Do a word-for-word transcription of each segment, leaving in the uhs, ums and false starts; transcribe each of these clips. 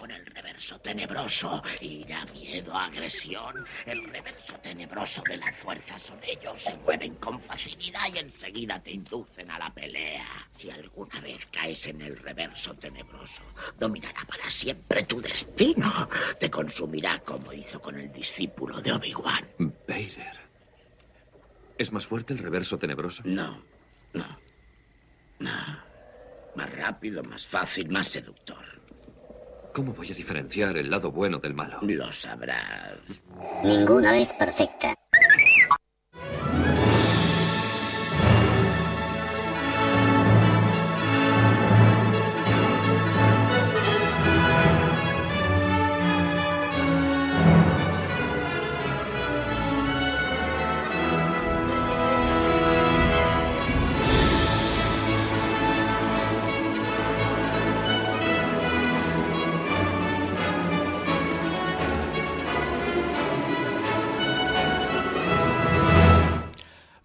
con el reverso tenebroso. Ira, miedo, agresión. El reverso tenebroso de la fuerza son ellos. Se mueven con facilidad y enseguida te inducen a la pelea. Si alguna vez caes en el reverso tenebroso, dominará para siempre tu destino. Te consumirá como hizo con el discípulo de Obi-Wan. Vader. ¿Es más fuerte el reverso tenebroso? No, no, no. Más rápido, más fácil, más seductor. ¿Cómo voy a diferenciar el lado bueno del malo? Lo sabrás. Ninguna es perfecta.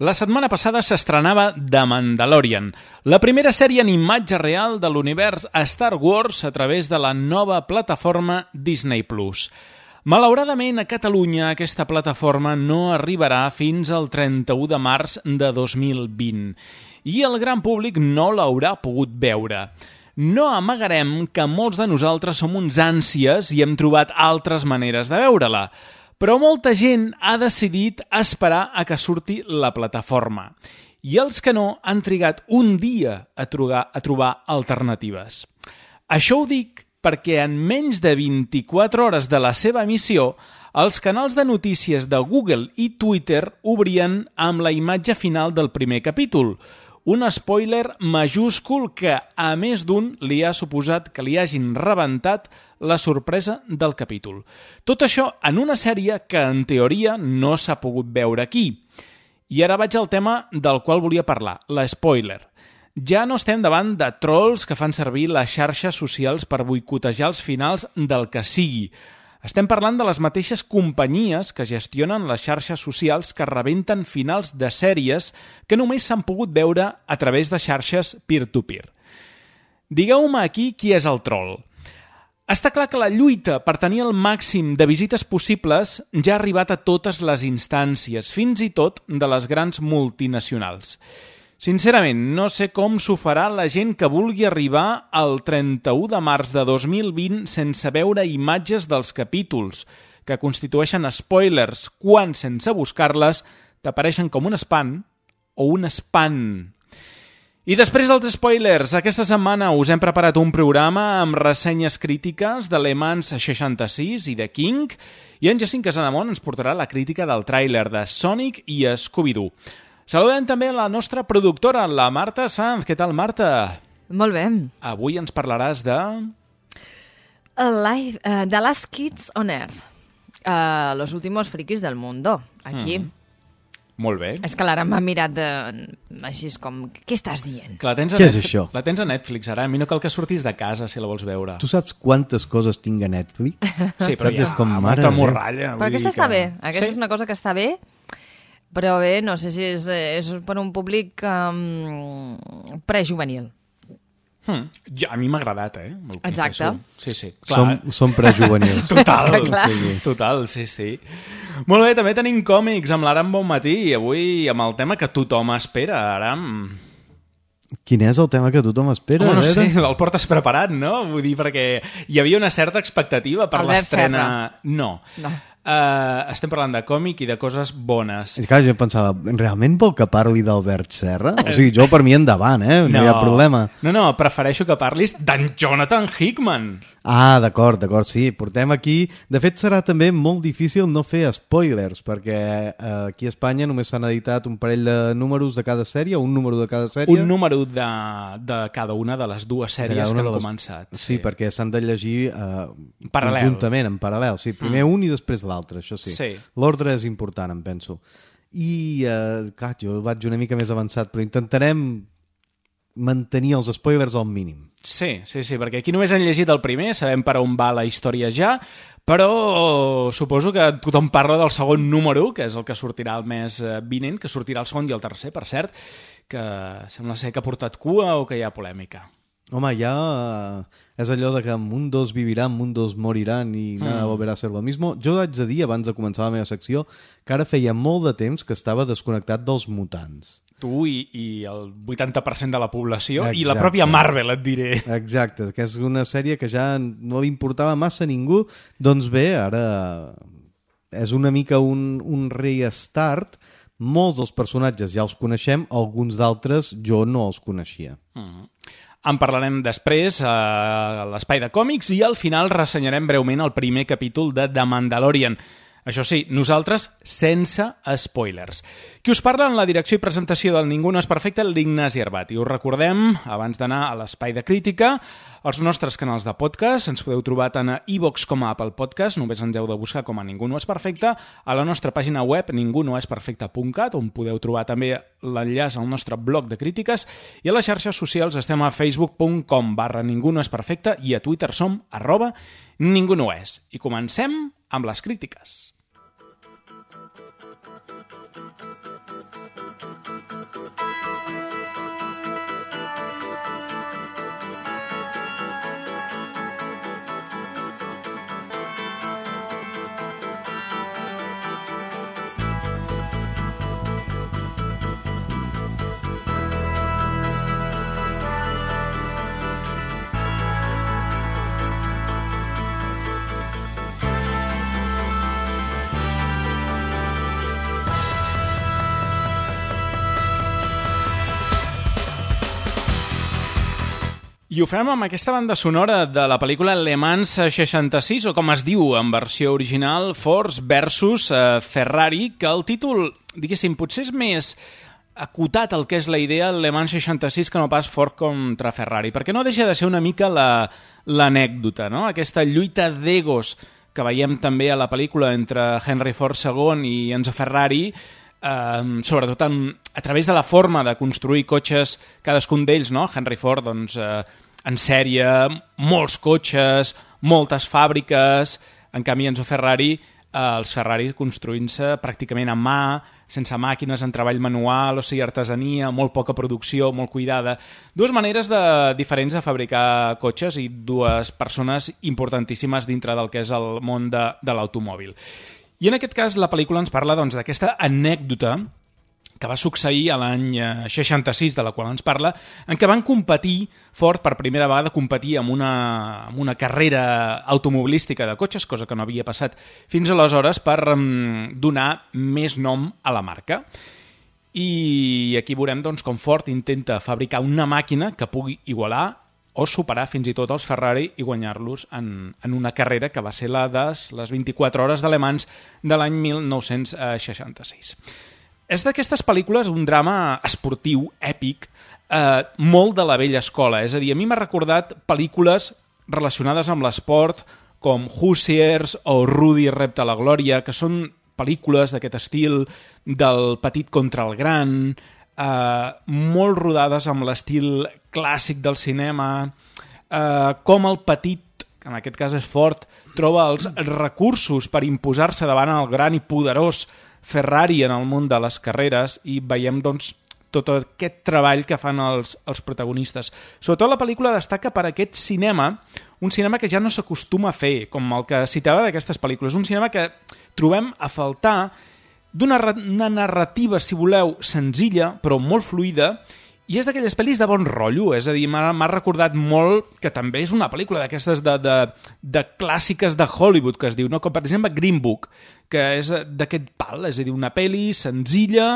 La setmana passada s'estrenava The Mandalorian, la primera sèrie en imatge real de l'univers Star Wars a través de la nova plataforma Disney plus. Malauradament, a Catalunya aquesta plataforma no arribarà fins al trenta-u de març de dos mil vint i el gran públic no l'haurà pogut veure. No amagarem que molts de nosaltres som uns ànsies i hem trobat altres maneres de veure-la, però molta gent ha decidit esperar a que surti la plataforma. I els que no han trigat un dia a trobar, a trobar alternatives. Això ho dic perquè en menys de vint-i-quatre hores de la seva emissió, els canals de notícies de Google i Twitter obrien amb la imatge final del primer capítol, un spoiler majúscul que, a més d'un, li ha suposat que li hagin rebentat la sorpresa del capítol. Tot això en una sèrie que, en teoria, no s'ha pogut veure aquí. I ara vaig al tema del qual volia parlar, l'espoiler. Ja no estem davant de trolls que fan servir les xarxes socials per boicotejar els finals del que sigui. Estem parlant de les mateixes companyies que gestionen les xarxes socials que rebenten finals de sèries que només s'han pogut veure a través de xarxes peer-to-peer. Digueu-me aquí qui és el troll. Està clar que la lluita per tenir el màxim de visites possibles ja ha arribat a totes les instàncies, fins i tot de les grans multinacionals. Sincerament, no sé com s'ho farà la gent que vulgui arribar al trenta-u de març de dos mil vint sense veure imatges dels capítols, que constitueixen spoilers quan, sense buscar-les, t'apareixen com un spam o un spam. I després dels spoilers, aquesta setmana us hem preparat un programa amb ressenyes crítiques de Le Mans seixanta-sis i de King, i en Jacint Casademont ens portarà la crítica del tràiler de Sonic i Scooby-Doo. Saludem també la nostra productora, la Marta Sanz. Què tal, Marta? Molt bé. Avui ens parlaràs de... Alive, uh, The Last Kids on Earth. Uh, los últimos frikis del mundo. Aquí. Mm. Molt bé. És que l'ara m'ha mirat de... així com... Què estàs dient? Que la tens a Què Netflix, és això? La tens a Netflix, ara. A mi no cal que sortis de casa si la vols veure. Tu saps quantes coses tinc a Netflix? Sí, però Saps? ja, És com, amb mare molta de Déu. morralla. Però aquesta està que... bé. Aquesta sí? és una cosa que està bé, però bé, no sé si és, és per un públic um, prejuvenil. Hmm. Ja, a mi m'ha agradat, eh? Me'l Exacte. confesso. Sí, sí. Clar. Som, som prejuvenils. Total, És que clar. sí, total, sí, sí. Molt bé, també tenim còmics amb l'Aram Bonmatí i avui amb el tema que tothom espera, Aram. Quin és el tema que tothom espera? Home, no a sé, veure? el portes preparat, no? Vull dir, perquè hi havia una certa expectativa per Albert l'estrena... Serra. No. No. Uh, estem parlant de còmic i de coses bones. És que jo pensava, realment vol que parli d'Albert Serra? O sigui, jo per mi endavant, eh? No, no hi ha problema. No, no, prefereixo que parlis d'en Jonathan Hickman. Ah, d'acord, d'acord, sí. Portem aquí... De fet, serà també molt difícil no fer spoilers, perquè eh, aquí a Espanya només s'han editat un parell de números de cada sèrie, un número de cada sèrie. Un número de, de cada una de les dues sèries que han les... començat. Sí, sí, perquè s'han de llegir eh, Paral·lel. conjuntament, en paral·lel. Sí, primer mm. un i després l'altre, això sí. Sí. L'ordre és important, em penso. I, eh, clar, jo vaig una mica més avançat, però intentarem mantenir els spoilers al mínim. Sí, sí, sí, perquè aquí només han llegit el primer, sabem per on va la història ja, però suposo que tothom parla del segon número, que és el que sortirà el mes vinent, que sortirà el segon i el tercer, per cert, que sembla ser que ha portat cua o que hi ha polèmica. Home, ja és allò de que mundos viviran, mundos moriran i nada mm. volverá a ser lo mismo. Jo haig de dir, abans de començar la meva secció, que ara feia molt de temps que estava desconnectat dels mutants. Tu i, i el vuitanta per cent de la població. Exacte. I la Exacte. pròpia Marvel, et diré. Exacte, que és una sèrie que ja no li importava massa a ningú. Doncs bé, ara és una mica un, un restart. Molts dels personatges ja els coneixem, alguns d'altres jo no els coneixia. Mm. En parlarem després a l'Espai de Còmics i al final ressenyarem breument el primer capítol de The Mandalorian. Això sí, nosaltres sense spoilers. Qui us parla en la direcció i presentació del Ningú no és perfecte, l'Ignasi Arbat. I us recordem, abans d'anar a l'Espai de Crítica, els nostres canals de podcast. Ens podeu trobar tant a iVoox com a Apple Podcast. Només ens heu de buscar com a Ningú no és perfecte. A la nostra pàgina web, ningú no és perfecte punt cat, on podeu trobar també l'enllaç al nostre blog de crítiques. I a les xarxes socials estem a facebook punt com barra ningú no és perfecte i a Twitter som arroba ningú no és. I comencem amb les crítiques. I ho fem amb aquesta banda sonora de la pel·lícula Le Mans seixanta-sis, o com es diu en versió original, Force versus uh, Ferrari, que el títol, diguéssim, potser és més acotat el que és la idea Le Mans seixanta-sis que no pas Ford contra Ferrari, perquè no deixa de ser una mica la, l'anècdota, no? Aquesta lluita d'egos que veiem també a la pel·lícula entre Henry Ford segon i Enzo Ferrari, Uh, sobretot en, a través de la forma de construir cotxes, cadascun d'ells, no? Henry Ford, doncs, uh, en sèrie, molts cotxes, moltes fàbriques, en canvi Enzo Ferrari, uh, els Ferrari construint-se pràcticament a mà, sense màquines, en treball manual, o sigui, artesania, molt poca producció, molt cuidada. Dues maneres de, diferents de fabricar cotxes i dues persones importantíssimes dintre del que és el món de, de l'automòbil. I en aquest cas la pel·lícula ens parla doncs, d'aquesta anècdota que va succeir a l'any seixanta-sis, de la qual ens parla, en què van competir, Ford per primera vegada competir amb una, amb una carrera automobilística de cotxes, cosa que no havia passat fins aleshores, per um, donar més nom a la marca. I aquí veurem doncs, com Ford intenta fabricar una màquina que pugui igualar o superar fins i tot els Ferrari i guanyar-los en, en una carrera que va ser la de les vint-i-quatre hores de Le Mans de l'any mil nou-cents seixanta-sis. És d'aquestes pel·lícules un drama esportiu, èpic, eh, molt de la vella escola. És a dir, a mi m'ha recordat pel·lícules relacionades amb l'esport com Hoosiers o Rudy repte a la glòria, que són pel·lícules d'aquest estil del petit contra el gran, Uh, molt rodades amb l'estil clàssic del cinema, uh, com el petit, que en aquest cas és Ford, troba els recursos per imposar-se davant el gran i poderós Ferrari en el món de les carreres, i veiem doncs tot aquest treball que fan els, els protagonistes. Sobretot la pel·lícula destaca per aquest cinema, un cinema que ja no s'acostuma a fer, com el que citava d'aquestes pel·lícules, un cinema que trobem a faltar d'una una narrativa, si voleu, senzilla, però molt fluida, i és d'aquelles pel·lis de bon rotllo, és a dir, m'ha recordat molt que també és una pel·lícula d'aquestes de, de, de clàssiques de Hollywood, que es diu, no? Com per exemple Green Book, que és d'aquest pal, és a dir, una pel·li senzilla,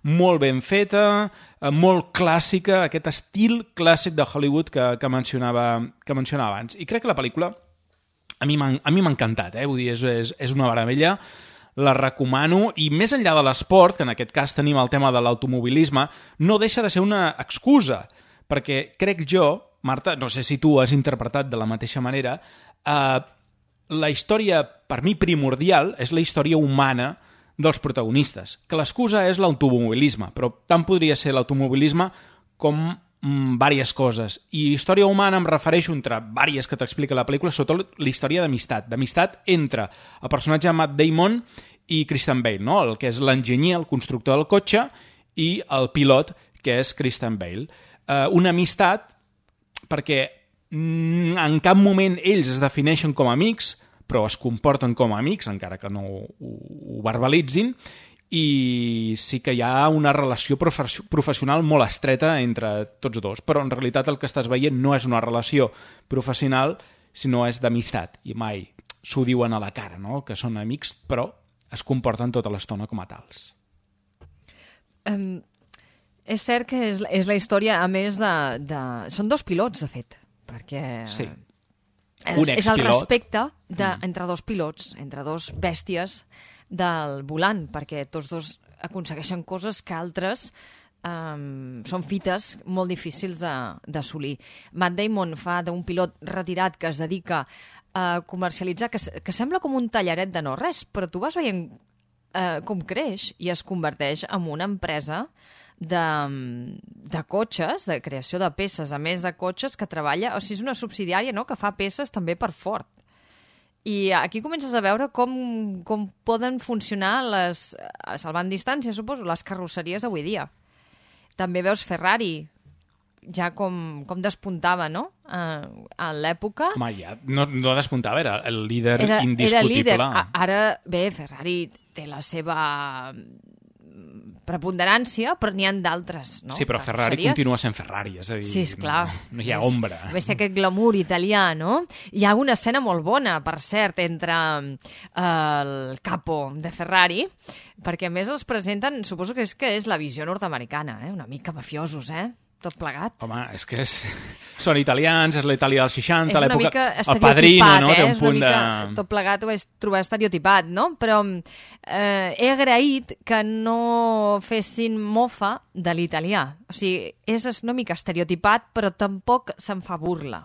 molt ben feta, molt clàssica, aquest estil clàssic de Hollywood que, que, mencionava, que mencionava abans. I crec que la pel·lícula a mi m'ha encantat, eh? Vull dir, és, és, és una meravella, la recomano, i més enllà de l'esport, que en aquest cas tenim el tema de l'automobilisme, no deixa de ser una excusa, perquè crec jo, Marta, no sé si tu has interpretat de la mateixa manera, eh, la història, per mi, primordial és la història humana dels protagonistes, que l'excusa és l'automobilisme, però tant podria ser l'automobilisme com mm, diverses coses. I història humana em refereixo entre diverses que t'explica la pel·lícula, sobretot la història d'amistat, d'amistat entre el personatge de Matt Damon i Christian Bale, no? El que és l'enginyer, el constructor del cotxe, i el pilot, que és Christian Bale. Eh, una amistat perquè mm, en cap moment ells es defineixen com a amics, però es comporten com a amics, encara que no ho, ho verbalitzin, i sí que hi ha una relació profe- professional molt estreta entre tots dos, però en realitat el que estàs veient no és una relació professional, sinó és d'amistat, i mai s'ho diuen a la cara, no? Que són amics, però es comporten tota l'estona com a tals. Um, és cert que és, és la història, a més de, de... Són dos pilots, de fet, perquè... Sí. És, Un és el expilot. respecte de, Mm. entre dos pilots, entre dos bèsties del volant, perquè tots dos aconsegueixen coses que altres um, són fites molt difícils de- d'assolir. Matt Damon fa d'un pilot retirat que es dedica a comercialitzar, que, s- que sembla com un tallaret de no res, però tu vas veient eh, com creix i es converteix en una empresa de, de cotxes, de creació de peces, a més de cotxes, que treballa, o sigui, és una subsidiària, no?, que fa peces també per Ford. I aquí comences a veure com, com poden funcionar les, salvant distància, suposo, les carrosseries avui dia. També veus Ferrari, ja com, com despuntava, no?, eh, en l'època. Home, ja no, no despuntava, era el líder Era, era indiscutible. líder. A- Ara, bé, Ferrari té la seva preponderància, però n'hi ha d'altres, no? Sí, però Ferrari Carrosseries. continua sent Ferrari, és a dir, Sí, esclar. no, no hi ha És- ombra. A més, té aquest glamour italià, no? Hi ha una escena molt bona, per cert, entre eh, el capo de Ferrari, perquè a més els presenten, suposo que és que és la visió nord-americana, eh? Una mica mafiosos, eh? Tot plegat. Home, és que és... són italians, és la Itàlia dels seixanta, És una l'època... mica El estereotipat, Padrino, no? eh? Té un És una punt mica, de... tot plegat ho vaig trobar estereotipat, no? Però eh, he agraït que no fessin mofa de l'italià. O sigui, és una mica estereotipat, però tampoc se'n fa burla.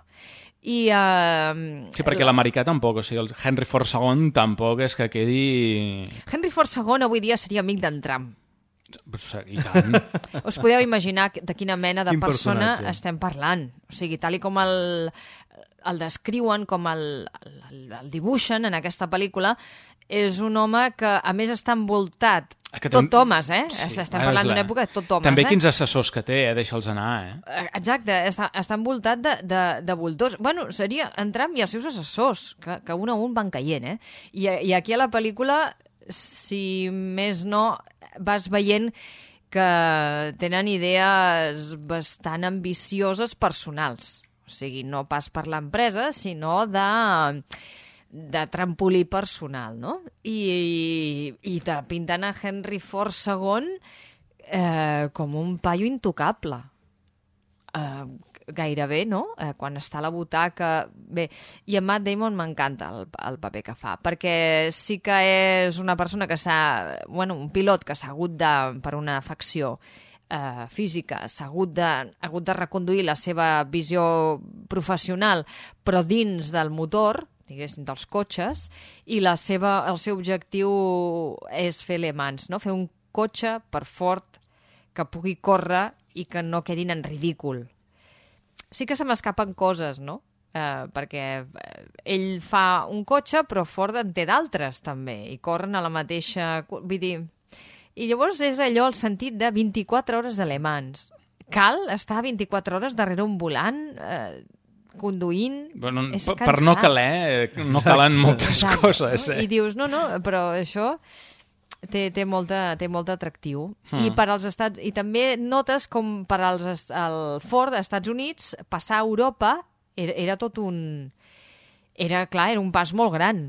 I, eh, Sí, perquè l'americà tampoc, o sigui, el Henry Ford segon tampoc és que quedi... Henry Ford segon avui dia seria amic d'en Trump. I tant. Us podeu imaginar de quina mena de Quin persona personatge. estem parlant. O sigui, tal i com el, el descriuen, com el, el, el dibuixen en aquesta pel·lícula, és un home que, a més, està envoltat. Que Tot tam- homes, eh? Sí, Estem ara parlant és la- d'una època de tot homes, També eh? quins assessors que té, eh? Deixa'ls anar, eh? Eh, Exacte, està, està envoltat de, de, de voltors. Bueno, seria en Trump i els seus assessors, que, que un a un van caient, eh? I, I aquí a la pel·lícula, si més no, vas veient que tenen idees bastant ambicioses personals. O sigui, no pas per l'empresa, sinó de, de trampolí personal, no? I, i te pinten a Henry Ford segon eh, com un paio intocable. Eh, gairebé, no? Eh, quan està a la butaca... Bé, i en Matt Damon m'encanta el, el paper que fa, perquè sí que és una persona que s'ha... Bueno, un pilot que s'ha hagut de, per una afecció eh, física, s'ha hagut de, ha hagut de reconduir la seva visió professional, però dins del motor, diguéssim, dels cotxes, i la seva, el seu objectiu és fer Le Mans, no? Fer un cotxe per Ford que pugui córrer i que no quedin en ridícul. Sí que se m'escapen coses, no? Eh, perquè eh, ell fa un cotxe, però Ford en té d'altres, també, i corren a la mateixa... Vull dir... I llavors és allò el sentit de vint-i-quatre hores de Le Mans. Cal estar vint-i-quatre hores darrere un volant, eh, conduint... Bueno, és per, per no cansat. caler, eh, no calen moltes Exacte, coses, no? eh? I dius, no, no, però això té, té, molta, té molt atractiu. Mm. I per als Estats... I també notes com per als est- el Ford als Estats Units passar a Europa era, era tot un... Era, clar, era un pas molt gran.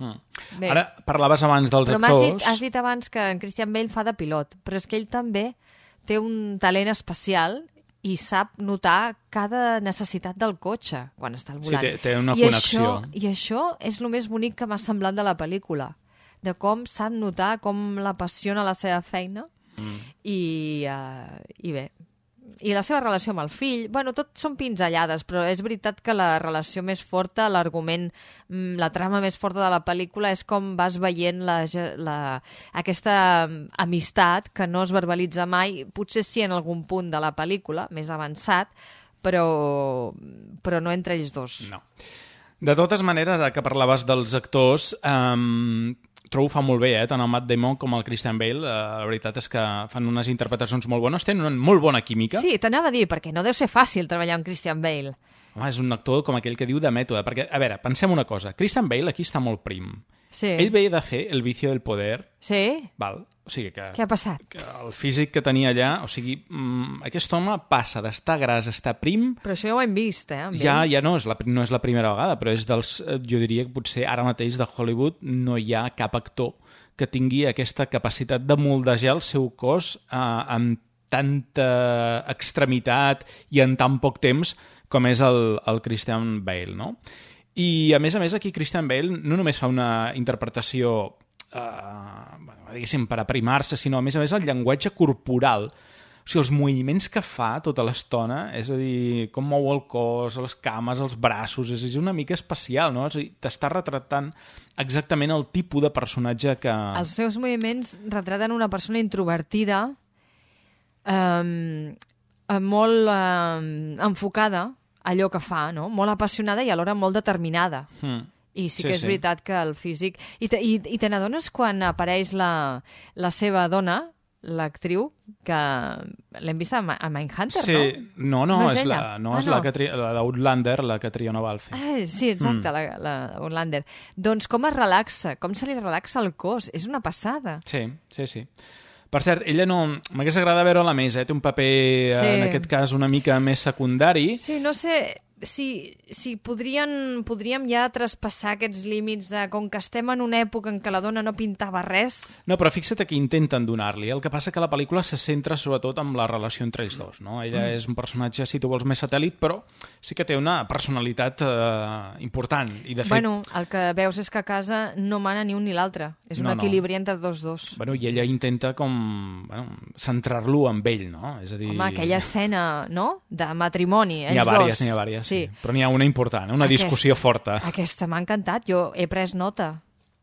Mm. Bé. Ara parlaves abans dels Però m'has dit, actors... has dit abans que en Christian Bale fa de pilot, però és que ell també té un talent especial i sap notar cada necessitat del cotxe quan està al Sí, volant. té- té una I connexió. Això, I això és el més bonic que m'ha semblat de la pel·lícula, de com sap notar, com l'apassiona la seva feina mm. i, uh, i bé, i la seva relació amb el fill, bueno, tot són pinzellades, però és veritat que la relació més forta, l'argument, mm, la trama més forta de la pel·lícula és com vas veient la, ge- la, aquesta mm, amistat que no es verbalitza mai, potser sí en algun punt de la pel·lícula, més avançat, però, però no entre ells dos. No. De totes maneres, ara que parlaves dels actors, um, trobo fa molt bé, eh? Tant el Matt Damon com el Christian Bale. Uh, la veritat és que fan unes interpretacions molt bones, tenen una molt bona química. Sí, t'anava a dir, perquè no deu ser fàcil treballar amb Christian Bale. Home, és un actor com aquell que diu de mètode, perquè, a veure, pensem una cosa, Christian Bale aquí està molt prim. Sí. Ell ve de fer El vicio del poder, Sí? val? O sigui que... Què ha passat? que el físic que tenia allà, o sigui, mmm, aquest home passa d'estar gras a estar prim, Però això ja ho hem vist, eh? amb ja, ell. ja no és, la, no és la primera vegada, però és dels, eh, jo diria que potser ara mateix de Hollywood no hi ha cap actor que tingui aquesta capacitat de moldejar el seu cos eh, amb tanta extremitat i en tan poc temps com és el, el Christian Bale, no? I, a més a més, aquí Christian Bale no només fa una interpretació, eh, diguéssim, per aprimar-se, sinó, a més a més, el llenguatge corporal. O sigui, els moviments que fa tota l'estona, és a dir, com mou el cos, les cames, els braços, és, és una mica especial, no? És a dir, t'està retratant exactament el tipus de personatge que... Els seus moviments retraten una persona introvertida, eh, molt eh, enfocada, allò que fa, no? Molt apassionada i alhora molt determinada. Mm. I sí, Sí, que és sí. veritat que el físic... I te, i, i te n'adones quan apareix la, la seva dona, l'actriu, que l'hem vist a, Ma- a Mindhunter, Sí, no? no, no, No és és, ella? la, no, Ah, és la, no. que tri... la d'Outlander, la que Triona Balfe. Ah, sí, exacte, mm. la, la Orlander. Doncs com es relaxa, com se li relaxa el cos, és una passada. Sí, sí, sí. Per cert, ella no... M'hagués agradat veure-la més, eh? Té un paper, Sí. en aquest cas, una mica més secundari. Sí, no sé si, si podrien, podríem ja traspassar aquests límits de com que estem en una època en què la dona no pintava res. No, però fixa't que intenten donar-li. El que passa que la pel·lícula se centra sobretot en la relació entre ells dos, no? Ella mm. és un personatge, si tu vols, més satèl·lit, però sí que té una personalitat eh, important. I, de fet, Bueno, el que veus és que a casa no mana ni un ni l'altre. És un No, no. equilibri entre dos dos. bueno, i ella intenta com bueno, centrar-lo amb ell, no? És a dir... Home, aquella escena, no?, de matrimoni, ells N'hi ha vàries, dos. n'hi ha vàries, sí. Sí. Però n'hi ha una important, una Aquest- discussió forta. Aquesta m'ha encantat, jo he pres nota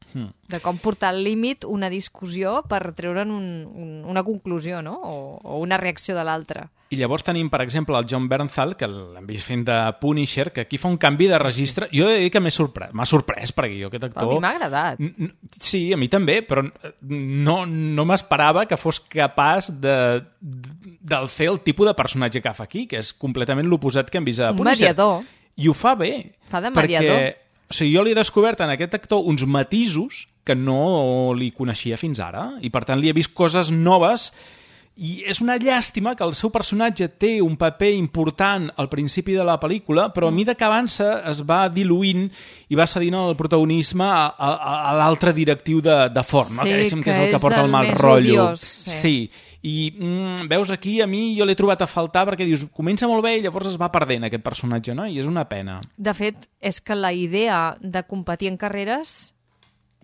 Hmm. de com portar al límit una discussió per treure'n un, un, una conclusió, no?, o, o una reacció de l'altre. I llavors tenim, per exemple, el John Bernthal, que l'hem vist fent de Punisher, que aquí fa un canvi de registre. Jo he de dir que m'he sorprès, m'ha sorprès, perquè jo aquest A actor... mi m'ha agradat. N- n- Sí, a mi també, però no, no m'esperava que fos capaç de, de, de fer el tipus de personatge que fa aquí, que és completament l'oposat que hem vist a Un Punisher. mediador. I ho fa bé. Fa de perquè, mediador. o sigui, jo li he descobert en aquest actor uns matisos que no li coneixia fins ara, i per tant li he vist coses noves. I és una llàstima que el seu personatge té un paper important al principi de la pel·lícula, però a mesura que avança es va diluint i va cedint el protagonisme a, a, a l'altre directiu de, de Ford, no? Sí, que, diguéssim que és que el que és porta el el mal més rotllo. odiós, sí. sí. I mm, veus aquí, a mi jo l'he trobat a faltar perquè dius, comença molt bé i llavors es va perdent aquest personatge, no? I és una pena. De fet, és que la idea de competir en carreres,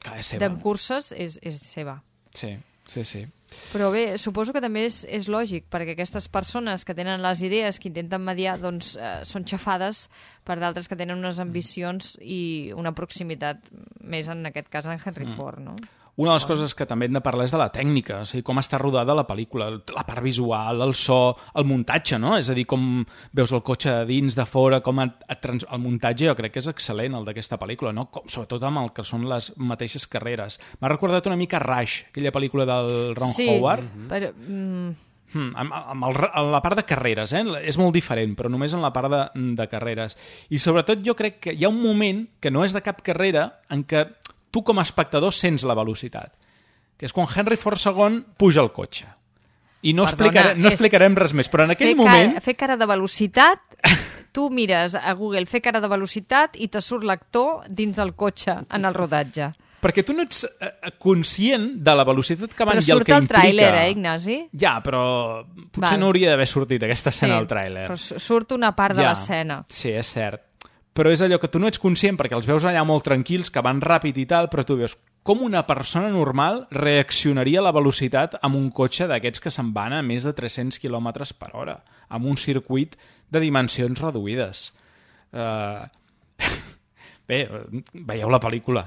Que és seva. de curses, és, és seva. Sí, sí, sí. Però bé, suposo que també és, és lògic, perquè aquestes persones que tenen les idees, que intenten mediar, doncs eh, són xafades per d'altres que tenen unes ambicions i una proximitat, més en aquest cas en Henry Mm. Ford, no? Una de les coses que també hem de parlar és de la tècnica, o sigui, com està rodada la pel·lícula, la part visual, el so, el muntatge, no? És a dir, com veus el cotxe de dins, de fora, com et, et trans... el muntatge jo crec que és excel·lent, el d'aquesta pel·lícula, no? Com, sobretot amb el que són les mateixes carreres. M'ha recordat una mica Rush, aquella pel·lícula del Ron sí, Howard. però... Mm, Hmm, amb, amb, el, amb la part de carreres, eh? És molt diferent, però només en la part de, de carreres. I sobretot jo crec que hi ha un moment que no és de cap carrera en què tu com a espectador sents la velocitat, que és quan Henry Ford segon puja al cotxe. I no, Perdona, explicaré, no és- explicarem res més, però en aquell fer, moment... cara, fer cara de velocitat, tu mires a Google fer cara de velocitat i te surt l'actor dins el cotxe en el rodatge. Perquè tu no ets eh, conscient de la velocitat que van Però i el surt que el implica... tràiler, eh, Ignasi? Ja, però potser Val. no hauria d'haver sortit aquesta escena al tràiler. però su- surt una part de Ja. l'escena. Sí, és cert. Però és allò que tu no ets conscient perquè els veus allà molt tranquils, que van ràpid i tal, però tu veus com una persona normal reaccionaria a la velocitat amb un cotxe d'aquests que se'n van a més de tres-cents quilòmetres per hora, amb un circuit de dimensions reduïdes. Uh... Bé, veieu la pel·lícula.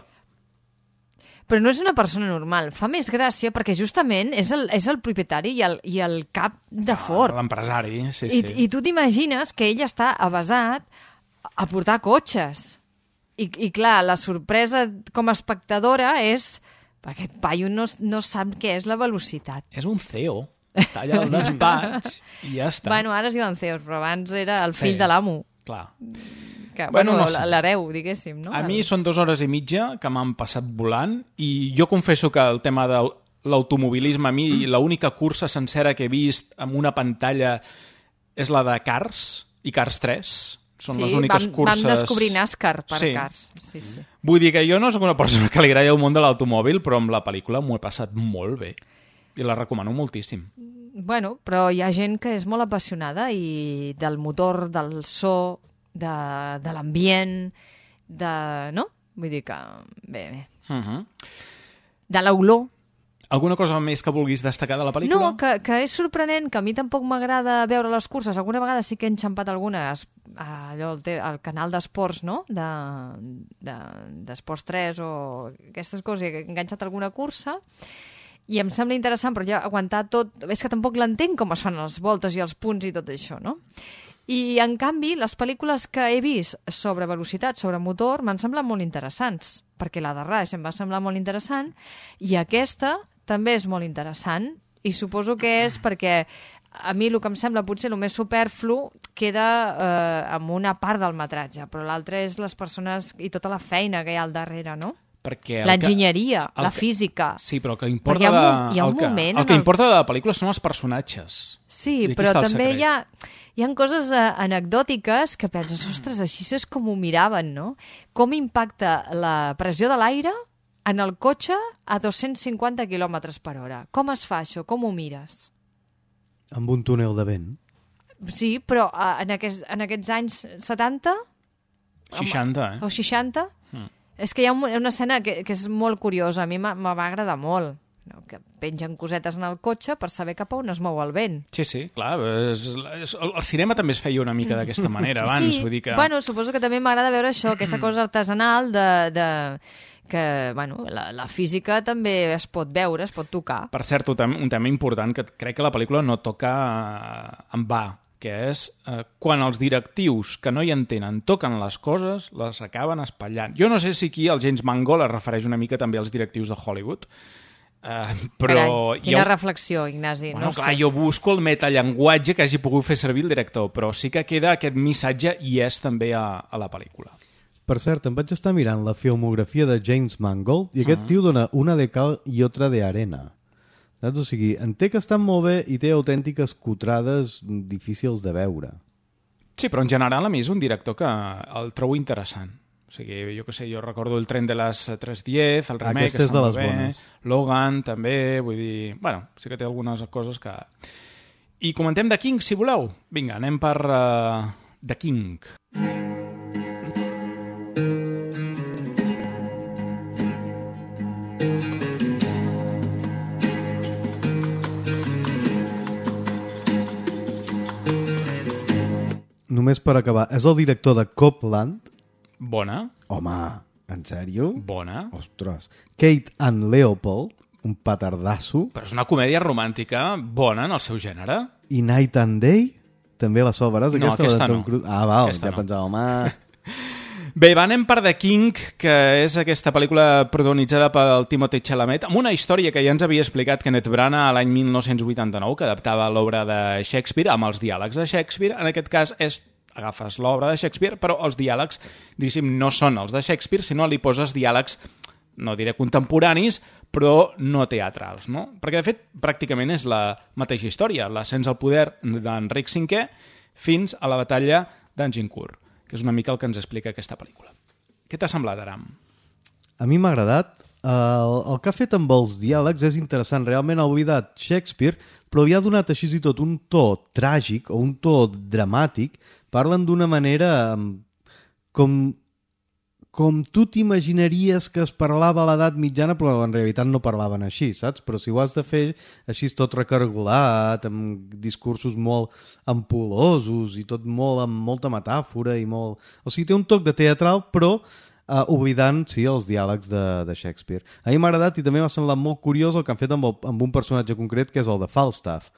Però no és una persona normal. Fa més gràcia perquè justament és el, és el propietari i el, i el cap de Ford. L'empresari, sí, I, sí. I tu t'imagines que ell està avasat a portar cotxes. I, I clar, la sorpresa com a espectadora és... Aquest paio no, no sap què és la velocitat. És un C E O. Està allà al despatx i ja està. Bueno, ara es diuen C E Os, però abans era el fill Sí. de l'amo. Clar. Que, Bueno, bueno, no sé. l'hereu, diguéssim, no? A mi són dues hores i mitja que m'han passat volant i jo confesso que el tema de l'automobilisme, a mi l'única cursa sencera que he vist amb una pantalla és la de Cars i Cars tres. Són sí, les úniques vam, curses... vam descobrir NASCAR per Sí. Cars. Sí, sí. Vull dir que jo no sóc una persona que li agrada el món de l'automòbil, però amb la pel·lícula m'ho he passat molt bé. I la recomano moltíssim. Bueno, però hi ha gent que és molt apassionada i del motor, del so, de, de l'ambient, de... no? Vull dir que... Bé, bé. Uh -huh. De l'olor. Alguna cosa més que vulguis destacar de la pel·lícula? No, que, que és sorprenent, que a mi tampoc m'agrada veure les curses. Alguna vegada sí que he enxampat algunes, allò, el, te, el canal d'esports, no?, d'Esports de, de, tres o aquestes coses, he enganxat alguna cursa i em sembla interessant, però ja aguantar tot... És que tampoc l'entenc com es fan les voltes i els punts i tot això, no? I, en canvi, les pel·lícules que he vist sobre velocitat, sobre motor, m'han semblat molt interessants, perquè la de Rush em va semblar molt interessant i aquesta també és molt interessant i suposo que és perquè a mi el que em sembla potser el més superflu queda eh, amb una part del metratge, però l'altre és les persones i tota la feina que hi ha al darrere, no? Perquè el l'enginyeria, que- el la que- física. Sí, però el que importa, Perquè hi ha un de, mo- hi ha un el que, moment el en que el- importa de la pel·lícula són els personatges. Sí, I aquí però està el també secret. hi ha, hi ha coses eh, anecdòtiques que penses, ostres, així és com ho miraven, no? Com impacta la pressió de l'aire en el cotxe a dos-cents cinquanta quilòmetres per hora. Com es fa això? Com ho mires? Amb un túnel de vent. Sí, però eh, en, aquests, en aquests anys setanta seixanta, eh? o seixanta, Mm. és que hi ha un- una escena que, que és molt curiosa, a mi m'ha- me va agradar molt, no? Que pengen cosetes en el cotxe per saber cap a on es mou el vent. Sí, sí, clar. És, és, el, el cinema també es feia una mica d'aquesta manera abans. Sí, Vull dir que... bueno, suposo que també m'agrada veure això, aquesta cosa artesanal de, de que, bueno, la, la física també es pot veure, es pot tocar. Per cert, un tema, un tema important que crec que la pel·lícula no toca eh, en va, que és eh, quan els directius que no hi entenen toquen les coses, les acaben espatllant. Jo no sé si aquí el James Mangold es refereix una mica també als directius de Hollywood, eh, però... Carai, quina jo, reflexió, Ignasi. bueno, no clar, sé. jo busco el metallenguatge que hagi pogut fer servir el director, però sí que queda aquest missatge i és també a, a la pel·lícula. Per cert, em vaig estar mirant la filmografia de James Mangold i aquest uh -huh. tio dona una de cal i otra de arena. Saps? O sigui, en té que estan molt bé i té autèntiques cutrades difícils de veure. Sí, però en general a mi és un director que el trobo interessant. O sigui, jo què sé, jo recordo el Tren de les tres diez, el remake, Aquesta que és de està les molt bé, bones. Logan també, vull dir... Bueno, sí que té algunes coses que... I comentem The King, si voleu. Vinga, anem per uh, The King. Només per acabar, és el director de Copland. Bona, Home, en sèrio? bona. Ostres. Kate and Leopold, un petardasso. Però és una comèdia romàntica bona en el seu gènere. I Night and Day, també la sobraràs, No, aquesta, aquesta de Tom no. Cruise. Ah, val, Aquesta ja no. pensava, home... Bé, va, anem per The King, que és aquesta pel·lícula protagonitzada pel Timothée Chalamet, amb una història que ja ens havia explicat Kenneth Branagh l'any mil nou-cents vuitanta-nou, que adaptava l'obra de Shakespeare amb els diàlegs de Shakespeare. En aquest cas és agafes l'obra de Shakespeare, però els diàlegs, diguéssim, no són els de Shakespeare, sinó li poses diàlegs, no diré contemporanis, però no teatrals, no? Perquè, de fet, pràcticament és la mateixa història, l'ascens al poder d'Enric cinquè fins a la batalla d'Agincourt, que és una mica el que ens explica aquesta pel·lícula. Què t'ha semblat, Aram? A mi m'ha agradat. El, el que ha fet amb els diàlegs és interessant. Realment ha oblidat Shakespeare, però li ha donat així i tot un to tràgic o un to dramàtic. Parlen d'una manera em, com, com tu t'imaginaries que es parlava a l'edat mitjana, però en realitat no parlaven així, saps? Però si ho has de fer així tot recargolat, amb discursos molt ampul·losos i tot molt amb molta metàfora i molt... O sigui, té un toc de teatral, però uh, oblidant, sí, els diàlegs de, de Shakespeare. A mi m'ha agradat i també m'ha semblat molt curiós el que han fet amb, el, amb un personatge concret, que és el de Falstaff,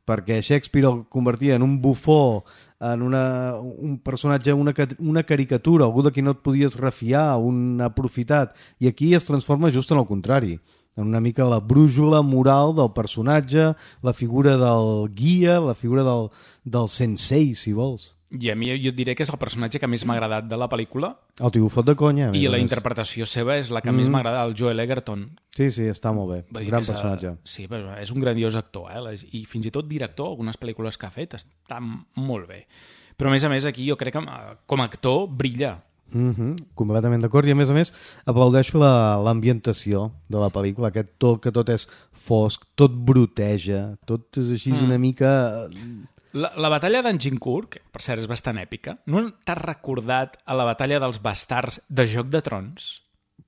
perquè Shakespeare el convertia en un bufó, en una, un personatge, una, una caricatura, algú de qui no et podies refiar, un aprofitat, i aquí es transforma just en el contrari, en una mica la brújula moral del personatge, la figura del guia, la figura del, del sensei, si vols. I a mi jo et diré que és el personatge que més m'ha agradat de la pel·lícula. El tio fot de conya. I la interpretació seva és la que mm. més m'ha agradat, el Joel Egerton. Sí, sí, està molt bé. Un gran personatge. A... Sí, però és un grandiós actor, eh? I fins i tot director, algunes pel·lícules que ha fet, està molt bé. Però a més a més aquí jo crec que com a actor brilla. Mm-hmm, completament d'acord, i a més a més aplaudeixo l'ambientació de la pel·lícula, aquest to que tot és fosc, tot broteja, tot és així mm. una mica... La, la batalla d'Agincourt, que per cert és bastant èpica, no t'has recordat a la batalla dels bastards de Joc de Trons?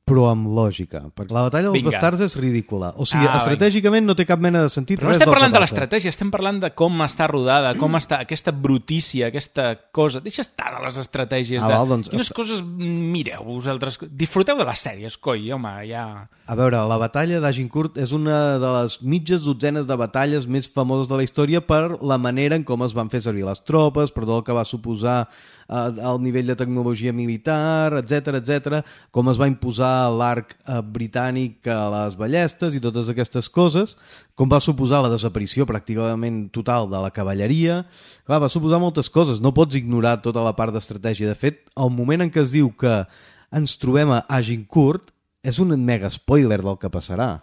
Però amb lògica, perquè la batalla dels Vinga. bastards és ridícula. O sigui, ah, estratègicament no té cap mena de sentit. Però no estem parlant de l'estratègia, estem parlant de com està rodada, com està aquesta brutícia, aquesta cosa. Deixa estar de les estratègies. Ah, de... val, doncs, Quines est... coses mireu vosaltres? Disfruteu de les sèries, coi, home, ja... A veure, la batalla d'Agincourt és una de les mitges dotzenes de batalles més famoses de la història per la manera en com es van fer servir les tropes, per tot el que va suposar al nivell de tecnologia militar, etc etc, com es va imposar l'arc eh, britànic a les ballestes i totes aquestes coses, com va suposar la desaparició pràcticament total de la cavalleria. Clar, va suposar moltes coses, no pots ignorar tota la part d'estratègia. De fet, el moment en què es diu que ens trobem a Agincourt és un mega spoiler del que passarà.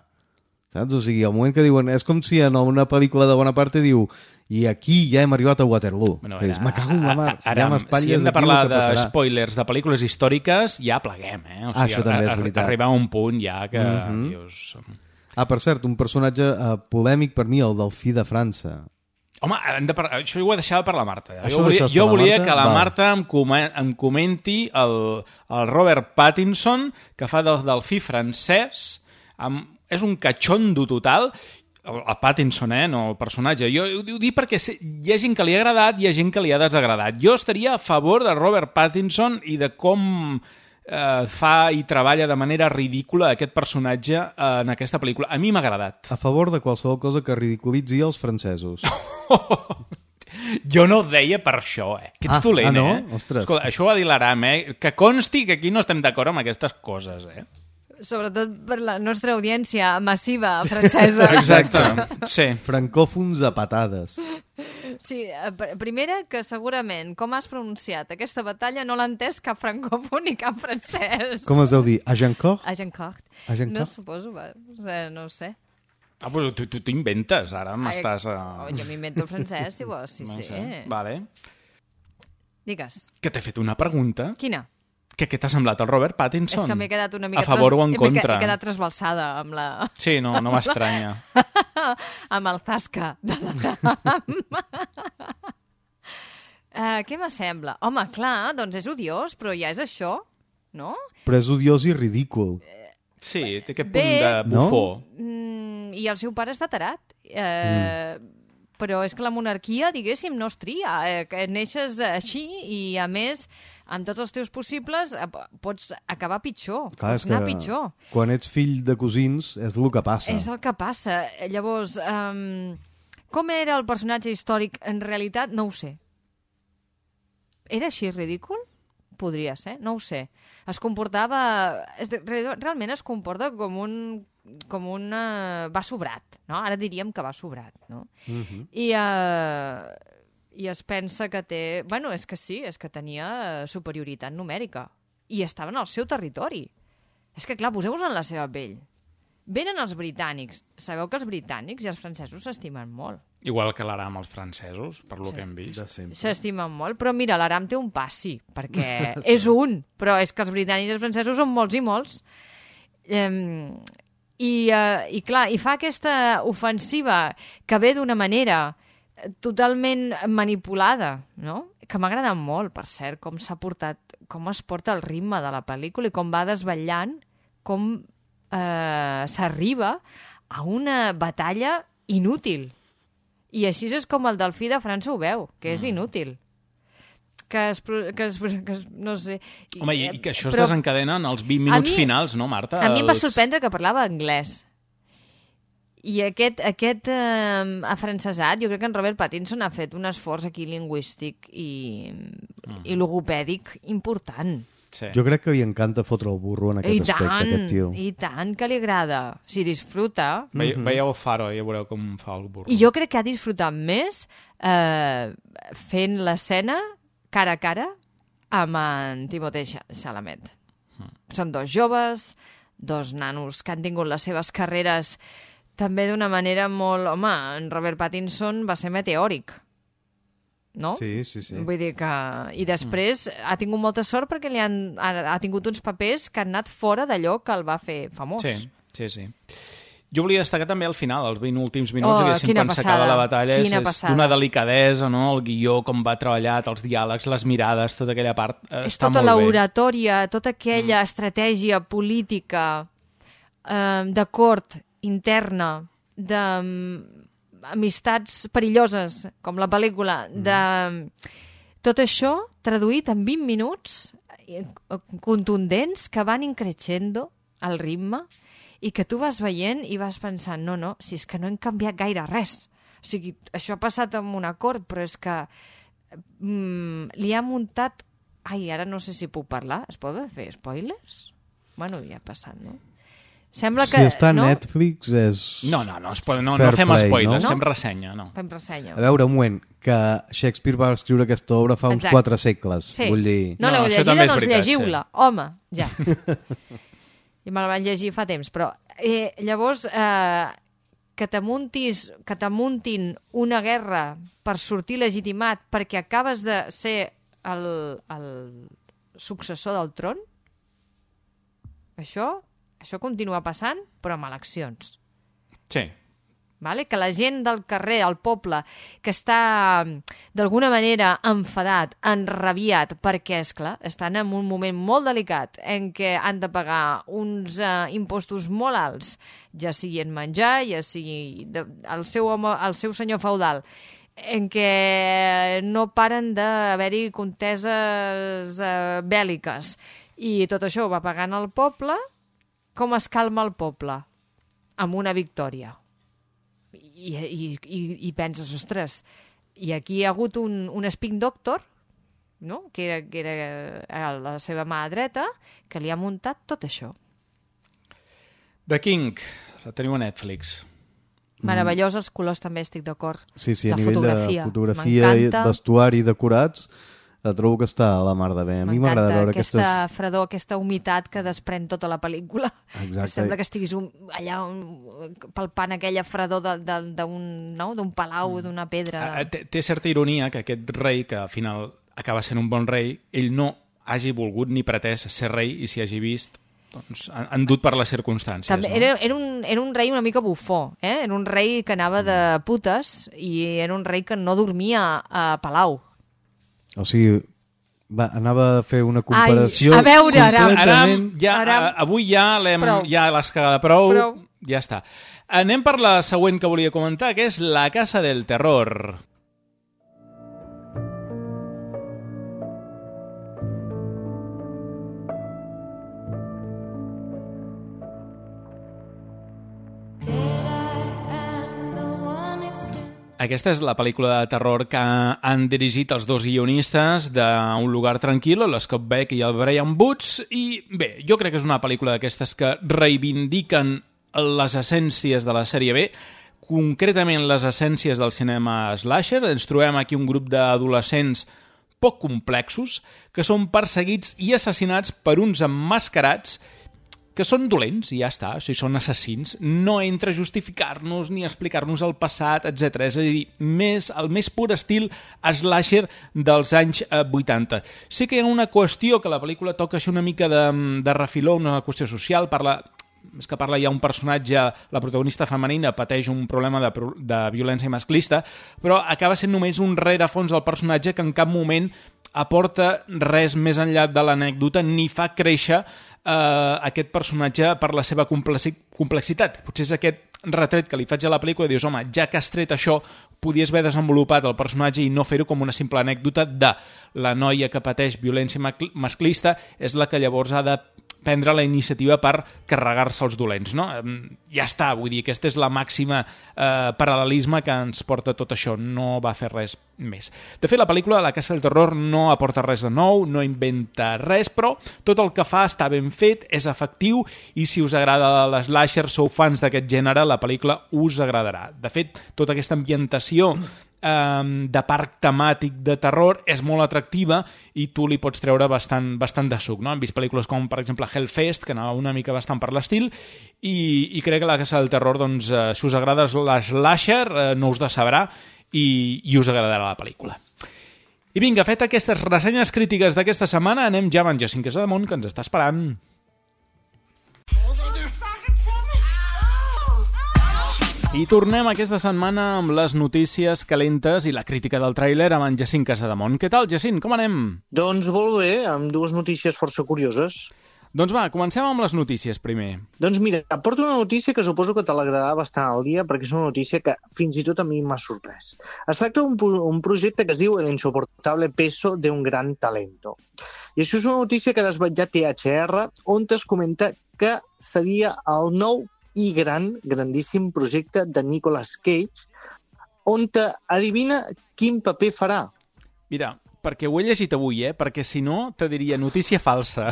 Saps? O sigui, el moment que diuen... És com si en una pel·lícula de Bonaparte diu i aquí ja hem arribat a Waterloo. Bueno, ara, me cago en la mar. Ara, ja si hem de parlar de spoilers de pel·lícules històriques, ja pleguem, eh? O sigui, ah, això també és veritat. Arribar a un punt ja que... Mm-hmm. dius... Ah, per cert, un personatge uh, polèmic per mi, el Delfí de França. Home, hem de par... això ho he deixat per la Marta. Això jo volia, jo volia Marta? que la Val. Marta em, com em comenti el, el Robert Pattinson, que fa del Delfí francès, amb... és un catxondo total. El, el Pattinson, eh, no el personatge. Jo ho, ho dic perquè hi ha gent que li ha agradat i hi ha gent que li ha desagradat. Jo estaria a favor de Robert Pattinson i de com eh, fa i treballa de manera ridícula aquest personatge en aquesta pel·lícula. A mi m'ha agradat. A favor de qualsevol cosa que ridiculitzi els francesos. Jo no ho deia per això, eh? Que ets ah, dolent, ah, no? eh? Ostres. Escolta, això ho va dir l'Aram, eh? Que consti que aquí no estem d'acord amb aquestes coses, eh? Sobretot per la nostra audiència massiva francesa. Exacte, sí. Francòfons a patades. Sí, primera, que segurament, com has pronunciat aquesta batalla, no l'ha entès cap francòfon ni cap francès. Com es deu dir? Agincourt? Agincourt. Agincourt? No suposo, va, no ho sé. Ah, però tu tu t'inventes, ara m'estàs... Uh... Oh, jo m'invento el francès, si vols, sí, no sí. Sé. Vale. Digues. Que t'he fet una pregunta. Quina? Que què t'ha semblat el Robert Pattinson? És que m'he quedat una mica... A favor tras... o en contra? M'he quedat trasbalsada amb la... Sí, no, no m'estranya. amb el zasca de la... uh, què m'assembla? Home, clar, doncs és odiós, però ja és això, no? Però és odiós i ridícul. Sí, té aquest punt de bufó. No? I el seu pare està tarat. Eh... Mm. Però és que la monarquia, diguéssim, no es tria. Eh, que neixes així i, a més, amb tots els teus possibles, eh, pots acabar pitjor. Clar, pots anar pitjor. Quan ets fill de cosins, és el que passa. És el que passa. Llavors, um, com era el personatge històric? En realitat, no ho sé. Era així ridícul? Podria ser, no ho sé. Es comportava... Realment es comporta com un... com un... Uh, va sobrat, no? Ara diríem que va sobrat, no? Uh-huh. I, uh, I es pensa que té... Bueno, és que sí, és que tenia superioritat numèrica. I estaven al seu territori. És que, clar, poseu-vos en la seva pell. Venen els britànics. Sabeu que els britànics i els francesos s'estimen molt. Igual que l'Aram els francesos, per lo que hem vist. S'estimen molt, però mira, l'Aram té un passi, perquè és un, però és que els britànics i els francesos són molts i molts. Um, I, uh, i clar, i fa aquesta ofensiva que ve d'una manera totalment manipulada, no? Que m'agrada molt, per cert, com s'ha portat, com es porta el ritme de la pel·lícula i com va desvetllant, com eh, s'arriba a una batalla inútil. I així és com el Delfí de França ho veu, que és inútil. Que es, que es, que es, no sé... Home, i, i que això es però, desencadena en els vint minuts mi, finals, no, Marta? A mi em va sorprendre que parlava anglès. I aquest, aquest eh, afrancesat, jo crec que en Robert Pattinson ha fet un esforç aquí lingüístic i, mm. i logopèdic important. Sí. Jo crec que li encanta fotre el burro en aquest I aspecte, tant, aquest tio. I tant que li agrada. Si disfruta... Ve, veieu el Faro i ja veureu com fa el burro. I jo crec que ha disfrutat més eh, fent l'escena cara a cara amb en Timothée Chalamet. Mm. Són dos joves, dos nanos que han tingut les seves carreres també d'una manera molt... Home, en Robert Pattinson va ser meteòric. No? Sí, sí, sí. Vull dir que... I després mm. ha tingut molta sort perquè li han... ha, ha tingut uns papers que han anat fora d'allò que el va fer famós. Sí, sí, sí. Jo volia destacar també al final, els vint últims minuts, oh, diguéssim, quan s'acaba la batalla, és, és d'una delicadesa, no? El guió, com va treballat, els diàlegs, les mirades, tota aquella part eh, és està tota molt bé. l'oratòria, tota aquella mm. estratègia política eh, de cort interna, de amistats perilloses, com la pel·lícula, de tot això traduït en vint minuts contundents que van increixendo el ritme i que tu vas veient i vas pensant, no, no, si és que no hem canviat gaire res. O sigui, això ha passat amb un acord, però és que mm, li ha muntat... Ai, ara no sé si puc parlar. Es poden fer spoilers? Bueno, ja ha passat, no? Sembla que, si està a no? Netflix és... No, no, no, no, no, no fem play, spoilers, no? fem ressenya, no. Fem ressenya. A veure, un moment, que Shakespeare va escriure aquesta obra fa uns Exacte. quatre segles. Sí. Vull dir... No, No, l'heu això llegida, també és doncs veritat, llegiu-la. Home, ja. I me la van llegir fa temps, però eh, llavors eh, que t'amuntis, que t'amuntin una guerra per sortir legitimat perquè acabes de ser el, el successor del tron, això... Això continua passant, però amb eleccions. Sí. Vale? Que la gent del carrer, el poble, que està d'alguna manera enfadat, enrabiat, perquè, esclar, estan en un moment molt delicat en què han de pagar uns uh, impostos molt alts, ja sigui en menjar, ja sigui de, el, seu home, el seu senyor feudal, en què no paren d'haver-hi conteses uh, bèl·liques. I tot això ho va pagant el poble. Com es calma el poble? Amb una victòria. I, i, i, i penses, ostres, i aquí hi ha hagut un, un spin doctor, no? que, era, que era la seva mà dreta, que li ha muntat tot això. The King, la teniu a Netflix. Meravellós, els colors també estic d'acord. Sí, sí, a la nivell fotografia. de fotografia, i vestuari, decorats, trobo que està a la mar de bé. A mi m'agrada veure aquesta aquestes... fredor, aquesta humitat que desprèn tota la pel·lícula. Exacte. Que sembla que estiguis un, allà un, palpant aquella fredor d'un no? palau, mm. d'una pedra. De... Té, té certa ironia que aquest rei, que al final acaba sent un bon rei, ell no hagi volgut ni pretès ser rei i s'hi hagi vist doncs, endut per les circumstàncies. També, no? era, era, un, era un rei una mica bufó. Eh? Era un rei que anava de putes i era un rei que no dormia a palau. O sigui, va, anava a fer una comparació... Ai, a veure, Aram. completament... Aram, ja, Aram. avui ja l'hem ja l'has cagat prou, prou, ja està. Anem per la següent que volia comentar, que és La Casa del Terror. Aquesta és la pel·lícula de terror que han dirigit els dos guionistes d'Un lugar tranquil, l'Scott Beck i el Brian Boots, i bé, jo crec que és una pel·lícula d'aquestes que reivindiquen les essències de la sèrie B, concretament les essències del cinema slasher. Ens trobem aquí un grup d'adolescents poc complexos que són perseguits i assassinats per uns emmascarats que són dolents i ja està, o sigui, són assassins. No entra a justificar-nos ni a explicar-nos el passat, etcètera. És a dir, més, el més pur estil slasher dels anys eh, vuitanta. Sí que hi ha una qüestió que la pel·lícula toca així una mica de, de refiló, una qüestió social, parla... és que parla ja un personatge, la protagonista femenina pateix un problema de, de violència masclista, però acaba sent només un rerefons del personatge que en cap moment aporta res més enllà de l'anècdota ni fa créixer eh, aquest personatge per la seva complexitat. Potser és aquest retret que li faig a la pel·lícula i dius, home, ja que has tret això, podies haver desenvolupat el personatge i no fer-ho com una simple anècdota de la noia que pateix violència masclista és la que llavors ha de prendre la iniciativa per carregar-se els dolents, no? Ja està, vull dir, aquesta és la màxima eh, paral·lelisme que ens porta tot això, no va fer res més. De fet, la pel·lícula La Casa del Terror no aporta res de nou, no inventa res, però tot el que fa està ben fet, és efectiu, i si us agrada l'slasher, sou fans d'aquest gènere, la pel·lícula us agradarà. De fet, tota aquesta ambientació de parc temàtic de terror és molt atractiva i tu li pots treure bastant, bastant de suc, no? Hem vist pel·lícules com, per exemple, Hellfest, que anava una mica bastant per l'estil, i, i crec que La Casa del Terror, doncs, eh, si us agrada l'slasher, eh, no us decebrà i, i us agradarà la pel·lícula. I vinga, fet aquestes ressenyes crítiques d'aquesta setmana, anem ja amb en Jacint Casademont, que ens està esperant. I tornem aquesta setmana amb les notícies calentes i la crítica del tràiler amb en Jacint Casademont. Què tal, Jacint? Com anem? Doncs molt bé, amb dues notícies força curioses. Doncs va, comencem amb les notícies primer. Doncs mira, porto una notícia que suposo que t'alegrarà bastant al dia, perquè és una notícia que fins i tot a mi m'ha sorprès. Es tracta d'un un projecte que es diu El insoportable peso de un gran talento. I això és una notícia que ha desvetllat T H R, on es comenta que seria el nou i gran, grandíssim projecte de Nicolas Cage, on te adivina quin paper farà. Mira, perquè ho he llegit avui, eh? Perquè si no, te diria notícia falsa.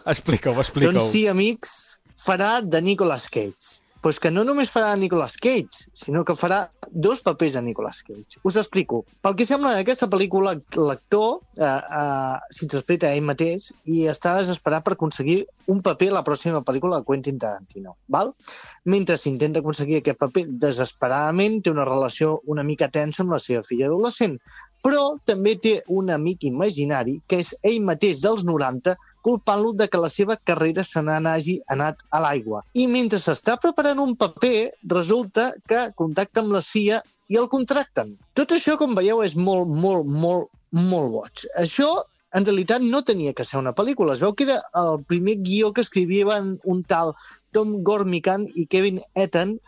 Explica-ho, explica-ho. Doncs sí, amics, farà de Nicolas Cage. Pues que no només farà Nicolas Cage, sinó que farà dos papers de Nicolas Cage. Us explico. Pel que sembla, en aquesta pel·lícula, l'actor eh, eh, s'interpreta a ell mateix i està desesperat per aconseguir un paper a la pròxima pel·lícula de Quentin Tarantino. Val? Mentre s'intenta aconseguir aquest paper desesperadament, té una relació una mica tensa amb la seva filla adolescent, però també té un amic imaginari, que és ell mateix dels noranta, culpant-lo de que la seva carrera se n'hagi anat a l'aigua. I mentre s'està preparant un paper, resulta que contacta amb la C I A i el contracten. Tot això, com veieu, és molt, molt, molt, molt boig. Això, en realitat, no tenia que ser una pel·lícula. Es veu que era el primer guió que escrivien un tal Tom Gormican i Kevin Etten,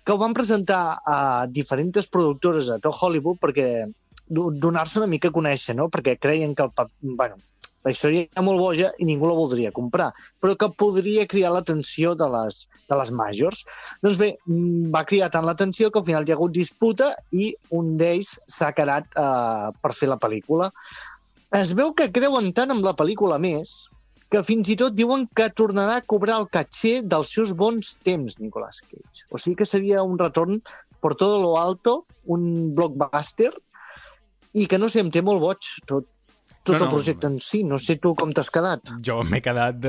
que ho van presentar a diferents productores a tot Hollywood perquè donar-se una mica a conèixer, no? Perquè creien que el paper... Bueno, la història era molt boja i ningú la voldria comprar, però que podria cridar l'atenció de les, de les majors. Doncs bé, va cridar tant l'atenció que al final hi ha hagut disputa i un d'ells s'ha quedat eh, per fer la pel·lícula. Es veu que creuen tant amb la pel·lícula més que fins i tot diuen que tornarà a cobrar el caché dels seus bons temps, Nicolas Cage. O sigui que seria un retorn per todo lo alto, un blockbuster, i que no sé, em té molt boig tot. Tot no, no. El projecte en si. No sé tu com t'has quedat. Jo m'he quedat...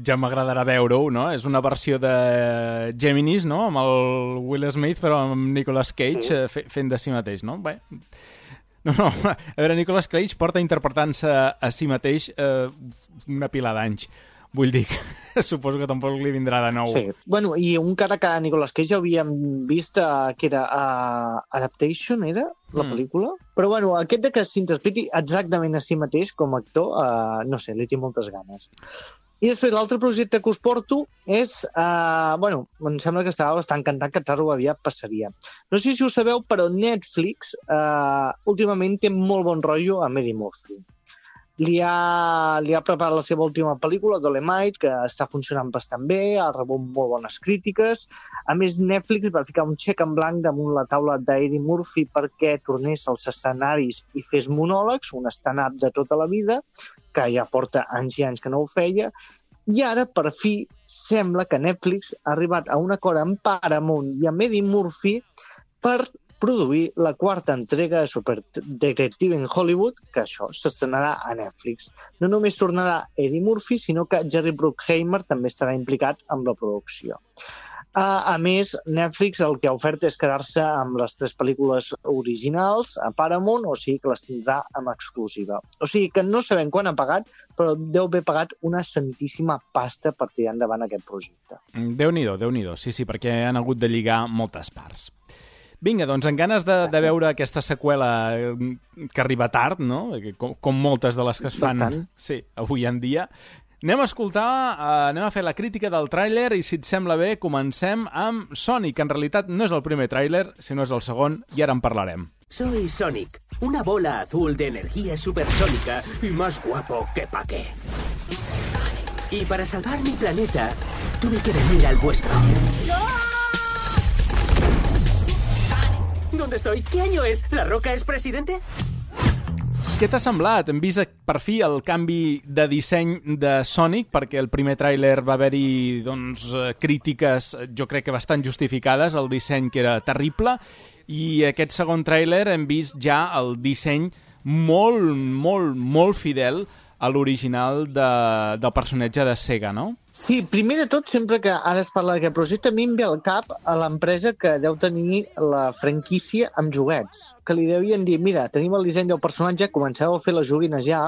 Ja m'agradarà veure-ho, no? És una versió de Geminis, no? Amb el Will Smith, però amb Nicolas Cage sí. fent de si mateix, no? Bé... No, no. A veure, Nicolas Cage porta interpretant-se a si mateix eh, una pila d'anys. Vull dir que suposo que tampoc li vindrà de nou. Sí. Bueno, i un cara que a Nicolas Cage ja havíem vist uh, que era uh, Adaptation, era? La mm. pel·lícula? Però bueno, aquest de que s'interpreti exactament a si mateix com a actor, uh, no sé, li tinc moltes ganes. I després l'altre projecte que us porto és... Uh, bueno, em sembla que estava bastant encantat que tard o aviat passaria. No sé si ho sabeu, però Netflix uh, últimament té molt bon rotllo amb Eddie Murphy. Li ha, li ha preparat la seva última pel·lícula, Dolemite, que està funcionant bastant bé, ha rebut molt bones crítiques. A més, Netflix va ficar un xec en blanc damunt la taula d'Eddie Murphy perquè tornés als escenaris i fes monòlegs, un stand-up de tota la vida, que ja porta anys i anys que no ho feia. I ara, per fi, sembla que Netflix ha arribat a un acord amb Paramount i amb Eddie Murphy per produir la quarta entrega de Super Detective in Hollywood, que això s'estrenarà a Netflix. No només tornarà Eddie Murphy, sinó que Jerry Bruckheimer també estarà implicat amb la producció. A més, Netflix el que ha ofert és quedar-se amb les tres pel·lícules originals a Paramount, o sigui que les tindrà amb exclusiva. O sigui que no sabem quan ha pagat, però deu haver pagat una santíssima pasta per tirar endavant aquest projecte. Déu-n'hi-do, Déu-n'hi-do, sí, sí, perquè han hagut de lligar moltes parts. Vinga, doncs, en ganes de, de veure aquesta seqüela que arriba tard, no? Com, com moltes de les que es fan Bastant. Sí, avui en dia, anem a escoltar, uh, anem a fer la crítica del tràiler i, si et sembla bé, comencem amb Sonic, que en realitat no és el primer tràiler, sinó és el segon, i ara en parlarem. Soy Sonic, una bola azul de energía supersónica y más guapo que pa' qué. Y para salvar mi planeta, tuve que venir al vuestro. ¿Dónde estoy? ¿Qué año es? ¿La Roca es presidente? Què t'ha semblat? Hem vist per fi el canvi de disseny de Sonic, perquè el primer tràiler va haver-hi doncs, crítiques, jo crec que bastant justificades, el disseny que era terrible, i aquest segon tràiler hem vist ja el disseny molt, molt, molt fidel a l'original de, del personatge de Sega, no? Sí, primer de tot, sempre que ara es parla d'aquest projecte, a mi em ve al cap a l'empresa que deu tenir la franquícia amb joguets, que li devien dir, mira, tenim el disseny del personatge, comenceu a fer les joguines ja,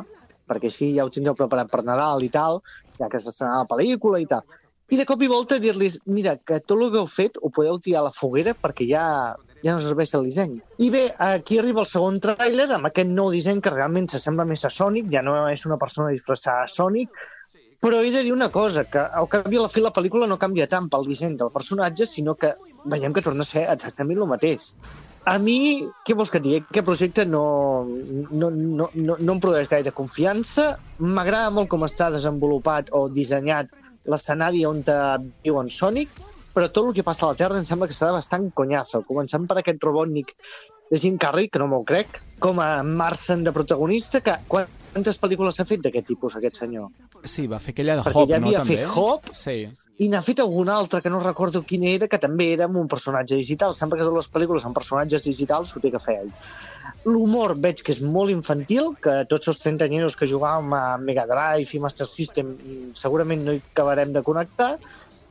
perquè així ja ho tindreu preparat per Nadal i tal, ja que s'estrenarà la pel·lícula i tal. I de cop i volta dir-los, mira, que tot el que heu fet ho podeu tirar a la foguera perquè ja, ja no serveix el disseny. I bé, aquí arriba el segon tràiler amb aquest nou disseny que realment s'assembla més a Sonic, ja no és una persona disfressada a Sonic, però he de dir una cosa, que al cap i a la fi la pel·lícula no canvia tant pel disseny del personatge, sinó que veiem que torna a ser exactament el mateix. A mi, què vols que et digui? Aquest projecte no, no, no, no, no em produeix gaire confiança. M'agrada molt com està desenvolupat o dissenyat l'escenari on viu en Sonic, però tot el que passa a la Terra em sembla que serà bastant conyazo, començant per aquest Robotnik de Jim Carrey, que no me'l crec, com a Martian de protagonista, que quantes pel·lícules s'ha fet d'aquest tipus, aquest senyor? Sí, va fer aquella de Perquè Hop, ja no, havia també? fet Hop, sí. I n'ha fet alguna altra que no recordo quina era, que també era amb un personatge digital. Sembla que totes les pel·lícules amb personatges digitals ho té que fer ell. L'humor veig que és molt infantil, que tots els trentanyeros que jugàvem a Mega Drive i Master System segurament no hi acabarem de connectar.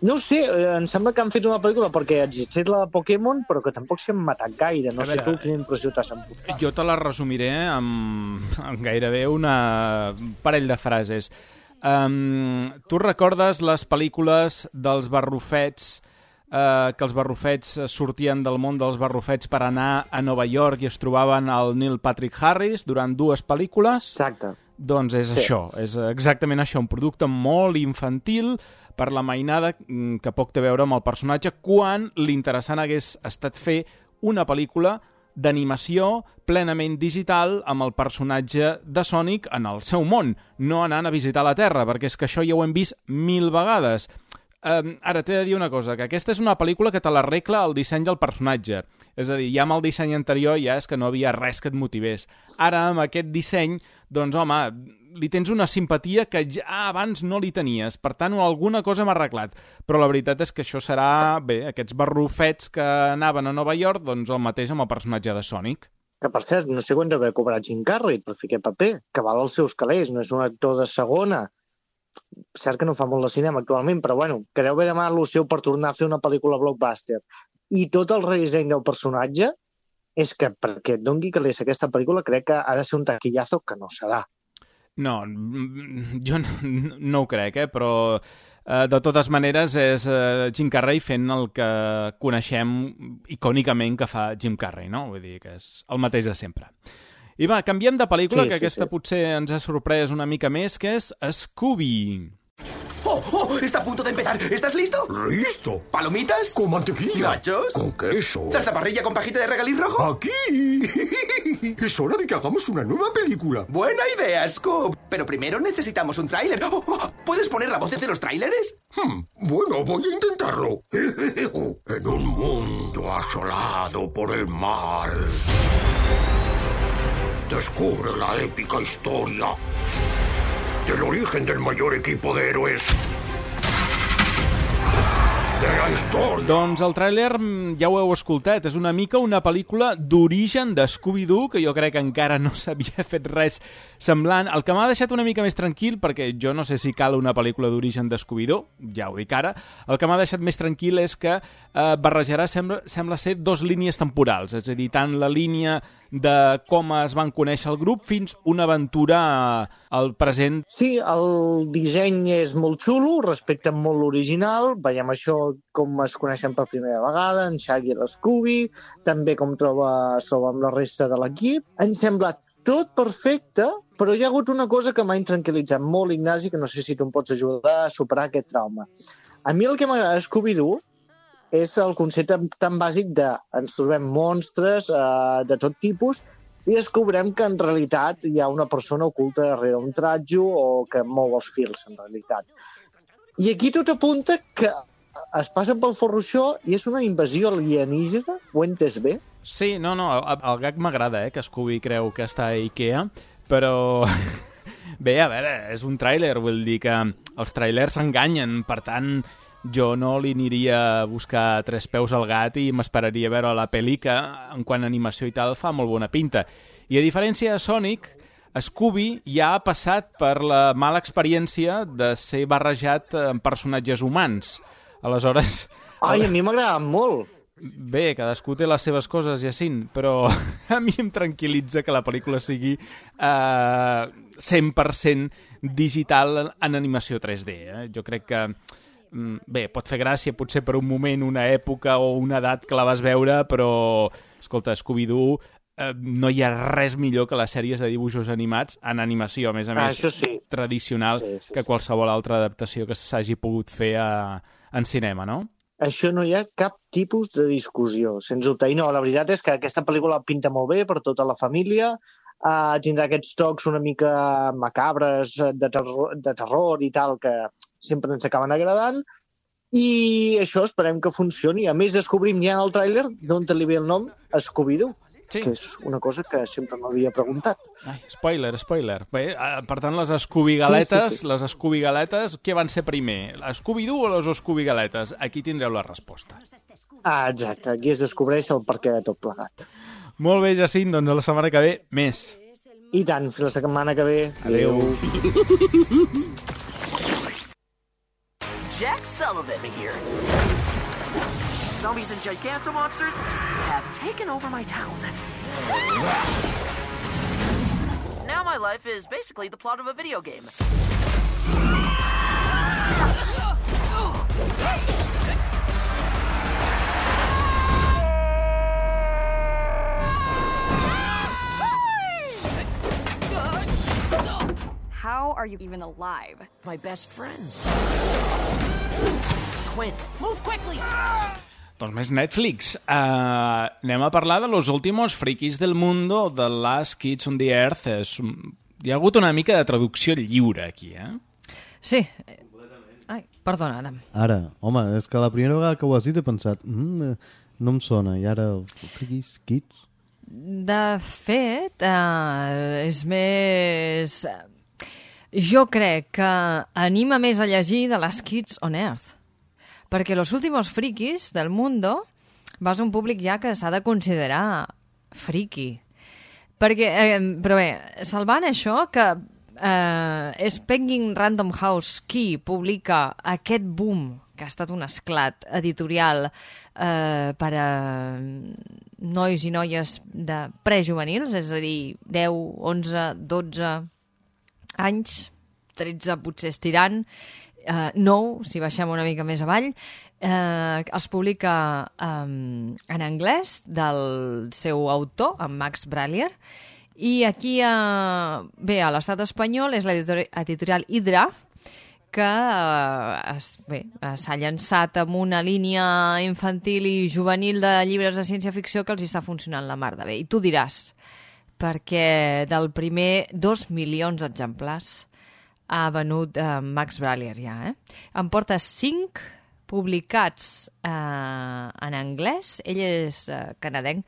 No ho sé, em sembla que han fet una pel·lícula perquè existeix la de Pokémon, però que tampoc s'hi han matat gaire. No A sé veure, tu quina impressió t'has emportat. Jo te la resumiré amb, amb gairebé una parell de frases. Um, tu recordes les pel·lícules dels barrufets, uh, que els barrufets sortien del món dels barrufets per anar a Nova York i es trobaven al Neil Patrick Harris durant dues pel·lícules? Exacte. Doncs és Sí. això, és exactament això, un producte molt infantil per la mainada que poc té a veure amb el personatge, quan l'interessant hagués estat fer una pel·lícula d'animació plenament digital amb el personatge de Sonic en el seu món, no anant a visitar la Terra, perquè és que això ja ho hem vist mil vegades. Um, ara t'he de dir una cosa, que aquesta és una pel·lícula que te l'arregla el disseny del personatge. És a dir, ja amb el disseny anterior ja és que no havia res que et motivés. Ara, amb aquest disseny, doncs, home, li tens una simpatia que ja abans no li tenies. Per tant, alguna cosa m'ha arreglat. Però la veritat és que això serà, bé, aquests barrufets que anaven a Nova York, doncs el mateix amb el personatge de Sonic. Que, per cert, no sé quan deu haver cobrat Jim Carrey per fer aquest paper, que val els seus calés, no és un actor de segona. Cert que no fa molt de cinema actualment, però bueno, que deu haver demanat el seu per tornar a fer una pel·lícula blockbuster. I tot el redisseny del personatge és que, perquè et doni calés aquesta pel·lícula, crec que ha de ser un taquillazo que no serà. No, jo no, no ho crec, eh? Però eh, de totes maneres és eh, Jim Carrey fent el que coneixem icònicament que fa Jim Carrey, no? Vull dir que és el mateix de sempre. I va, canviem de pel·lícula, Sí, que sí, aquesta sí. potser ens ha sorprès una mica més, que és Scooby. ¡Oh, oh! Está a punto de empezar. ¿Estás listo? ¡Listo! ¿Palomitas? Con mantequilla. ¿Nachos? Con queso. ¿Salsa parrilla con pajita de regaliz rojo? ¡Aquí! Es hora de que hagamos una nueva película. Buena idea, Scoop. Pero primero necesitamos un tráiler. Oh, oh, ¿puedes poner la voz de los tráileres? Hmm, bueno, voy a intentarlo. En un mundo asolado por el mal, descubre la épica historia del origen del mayor equipo de héroes de la història. Doncs el tràiler, ja ho heu escoltat, és una mica una pel·lícula d'origen de Scooby-Doo, que jo crec que encara no s'havia fet res semblant. El que m'ha deixat una mica més tranquil, perquè jo no sé si cal una pel·lícula d'origen de Scooby-Doo, ja ho dic ara, el que m'ha deixat més tranquil és que eh, barrejarà, sembla, sembla ser, dos línies temporals, és a dir, tant la línia de com es van conèixer el grup fins una aventura al present. Sí, el disseny és molt xulo, respecte molt l'original, veiem això com es coneixen per primera vegada, en Shaggy i l'Scooby, també com troba, es troba amb la resta de l'equip. Em sembla tot perfecte, però hi ha hagut una cosa que m'ha intranquil·litzat molt, Ignasi, que no sé si tu em pots ajudar a superar aquest trauma. A mi el que m'agrada de Scooby-Doo és el concepte tan bàsic de ens trobem monstres eh, de tot tipus i descobrem que en realitat hi ha una persona oculta darrere un tratjo o que mou els fils, en realitat. I aquí tot apunta que es passen pel forroixó i és una invasió alienígena, ho he entès bé? Sí, no, no, el, el gag m'agrada, eh, que Scooby creu que està a Ikea, però... Bé, a veure, és un tràiler, vull dir que els tràilers s'enganyen, per tant, jo no li aniria a buscar tres peus al gat i m'esperaria veure la pel·lícula, en quant a animació i tal, fa molt bona pinta. I a diferència de Sonic, Scooby ja ha passat per la mala experiència de ser barrejat amb personatges humans. Aleshores... Ai, a mi m'agrada molt. Bé, cadascú té les seves coses, Jacint, però a mi em tranquil·litza que la pel·lícula sigui eh, cent per cent digital en animació tres D. Eh? Jo crec que, bé, pot fer gràcia potser per un moment, una època o una edat que la vas veure, però, escolta, Scooby-Doo, eh, no hi ha res millor que les sèries de dibuixos animats en animació, a més a més, ah, sí. tradicional, sí, sí, que sí. qualsevol altra adaptació que s'hagi pogut fer a, en cinema, no? Això no hi ha cap tipus de discussió, sens dubte. I no, la veritat és que aquesta pel·lícula pinta molt bé per tota la família, uh, tindrà aquests tocs una mica macabres, de terror, de terror i tal, que sempre ens acaben agradant, i això esperem que funcioni. A més, descobrim ja en el tràiler d'on li ve el nom Scooby-Doo, sí. que és una cosa que sempre m'havia preguntat. Ai, spoiler, spoiler. Bé, per tant, les Scooby-galetes, sí, sí, sí. les Scooby-galetes, què van ser primer? Scooby-Doo o les Scooby-galetes? Aquí tindreu la resposta. Ah, exacte, aquí es descobreix el perquè de tot plegat. Molt bé, Jacint, doncs a la setmana que ve, més. I tant, fins la setmana que ve. Adéu. Jack Sullivan here. Zombies and gigantomonsters have taken over my town. Now my life is basically the plot of a video game. How are you even alive? My best friends. Quint, move quickly! Doncs més Netflix. Uh, anem a parlar de Los Últimos Frikis del Mundo, The Last Kids on the Earth. És... Hi ha hagut una mica de traducció lliure aquí, eh? Sí. Ai, perdona, ara. Ara, home, és que la primera vegada que ho has dit he pensat mm, no em sona, i ara Frikis, Kids... De fet, uh, és més... Jo crec que anima més a llegir The Last Kids on Earth. Perquè Los Últimos Frikis del Mundo va ser un públic ja que s'ha de considerar friki. Perquè, eh, però bé, salvant això, que eh, és Penguin Random House qui publica aquest boom, que ha estat un esclat editorial eh, per a nois i noies de prejuvenils, és a dir, deu, onze, dotze anys, tretze potser estirant, Uh, nou, si baixem una mica més avall, uh, es publica um, en anglès del seu autor, en Max Brallier, i aquí, uh, bé, a l'estat espanyol és l'editorial Hydra, que uh, s'ha llançat amb una línia infantil i juvenil de llibres de ciència-ficció que els està funcionant la mar de bé. I tu diràs, perquè del primer dos milions d'exemplars ha venut eh, Max Brallier ja, eh? En porta cinc publicats eh, en anglès. Ell és eh, canadenc.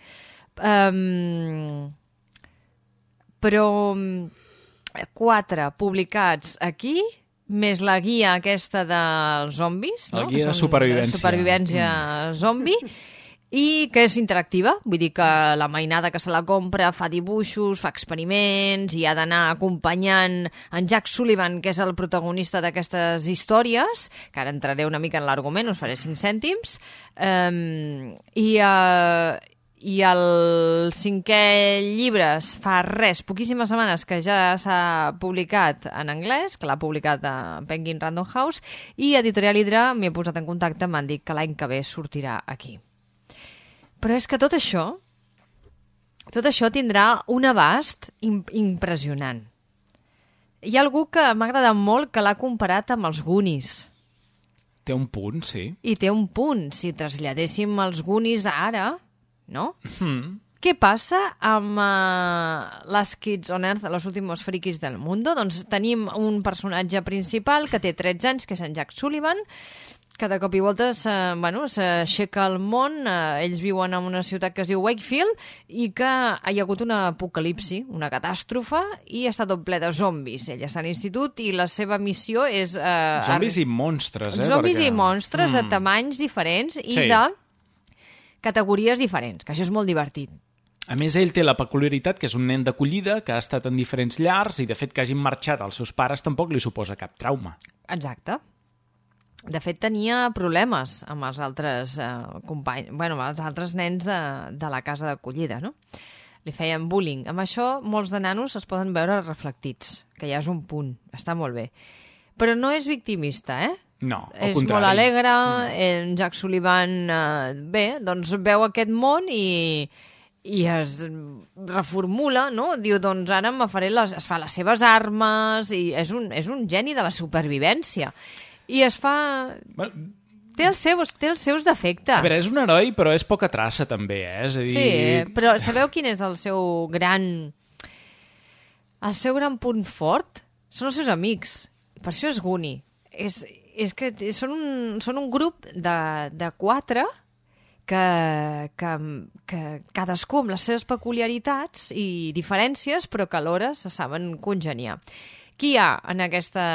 Um, però quatre publicats aquí, més la guia aquesta dels zombis, no? La guia de supervivència. De supervivència zombi. I que és interactiva, vull dir que la mainada que se la compra fa dibuixos, fa experiments i ha d'anar acompanyant en Jack Sullivan, que és el protagonista d'aquestes històries, que ara entraré una mica en l'argument, us faré cinc cèntims, um, i, uh, i el cinquè llibre fa res, poquíssimes setmanes que ja s'ha publicat en anglès, que l'ha publicat a Penguin Random House, i Editorial Hydra m'he posat en contacte, m'han dit que l'any que ve sortirà aquí. Però és que tot això, tot això tindrà un abast imp impressionant. Hi ha algú que m'ha agradat molt que l'ha comparat amb els Goonies. Té un punt, sí. I té un punt. Si traslladéssim els Goonies ara, no? Mm. què passa amb uh, les Kids on Earth, los últimos frikis del mundo? Doncs tenim un personatge principal que té tretze anys, que és en Jack Sullivan, que de cop i volta bueno, s'aixeca el món, eh, ells viuen en una ciutat que es diu Wakefield i que hi ha hagut una apocalipsi, una catàstrofe, i està tot ple de zombis. Ell està a l'institut i la seva missió és... Eh, zombis i monstres, eh? Zombis perquè... i monstres mm. de tamanys diferents i sí. de categories diferents, que això és molt divertit. A més, ell té la peculiaritat que és un nen d'acollida, que ha estat en diferents llars i, de fet, que hagin marxat els seus pares tampoc li suposa cap trauma. Exacte. De fet, tenia problemes amb els altres eh, companys, bueno, amb els altres nens de, de la casa d'acollida, no? Li feien bullying. Amb això, molts de nanos es poden veure reflectits, que ja és un punt, està molt bé. Però no és victimista, eh? No, al és contrari. molt alegre, en Jack Sullivan, eh, bé, doncs veu aquest món i... i es reformula, no? Diu, doncs ara me faré les... es fa les seves armes i és un, és un geni de la supervivència. I es fa... Bueno, té, els seus, té els seus defectes. A veure, és un heroi, però és poca traça, també, eh? És a dir... Sí, però sabeu quin és el seu gran... el seu gran punt fort? Són els seus amics. Per això és Goonie. És, és que són un, són un grup de, de quatre... Que, que, que cadascú amb les seves peculiaritats i diferències, però que alhora se saben congeniar. Qui hi ha en, aquesta,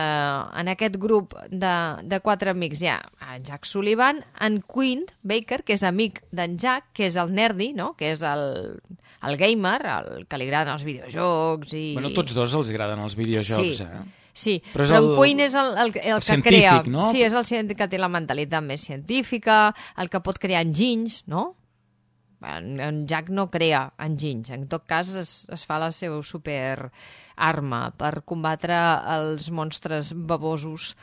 en aquest grup de, de quatre amics? Hi ha en Jack Sullivan, en Quint Baker, que és amic d'en Jack, que és el nerdy, no? Que és el, el gamer, el que li agraden els videojocs. I... Bueno, tots dos els agraden els videojocs, sí. eh? Sí, però, però el, en Quinn és el, el, el, el que científic, crea... no? Sí, és el científic que té la mentalitat més científica, el que pot crear enginys, no? En, en Jack no crea enginys, en tot cas es, es fa la seva superarma per combatre els monstres babosos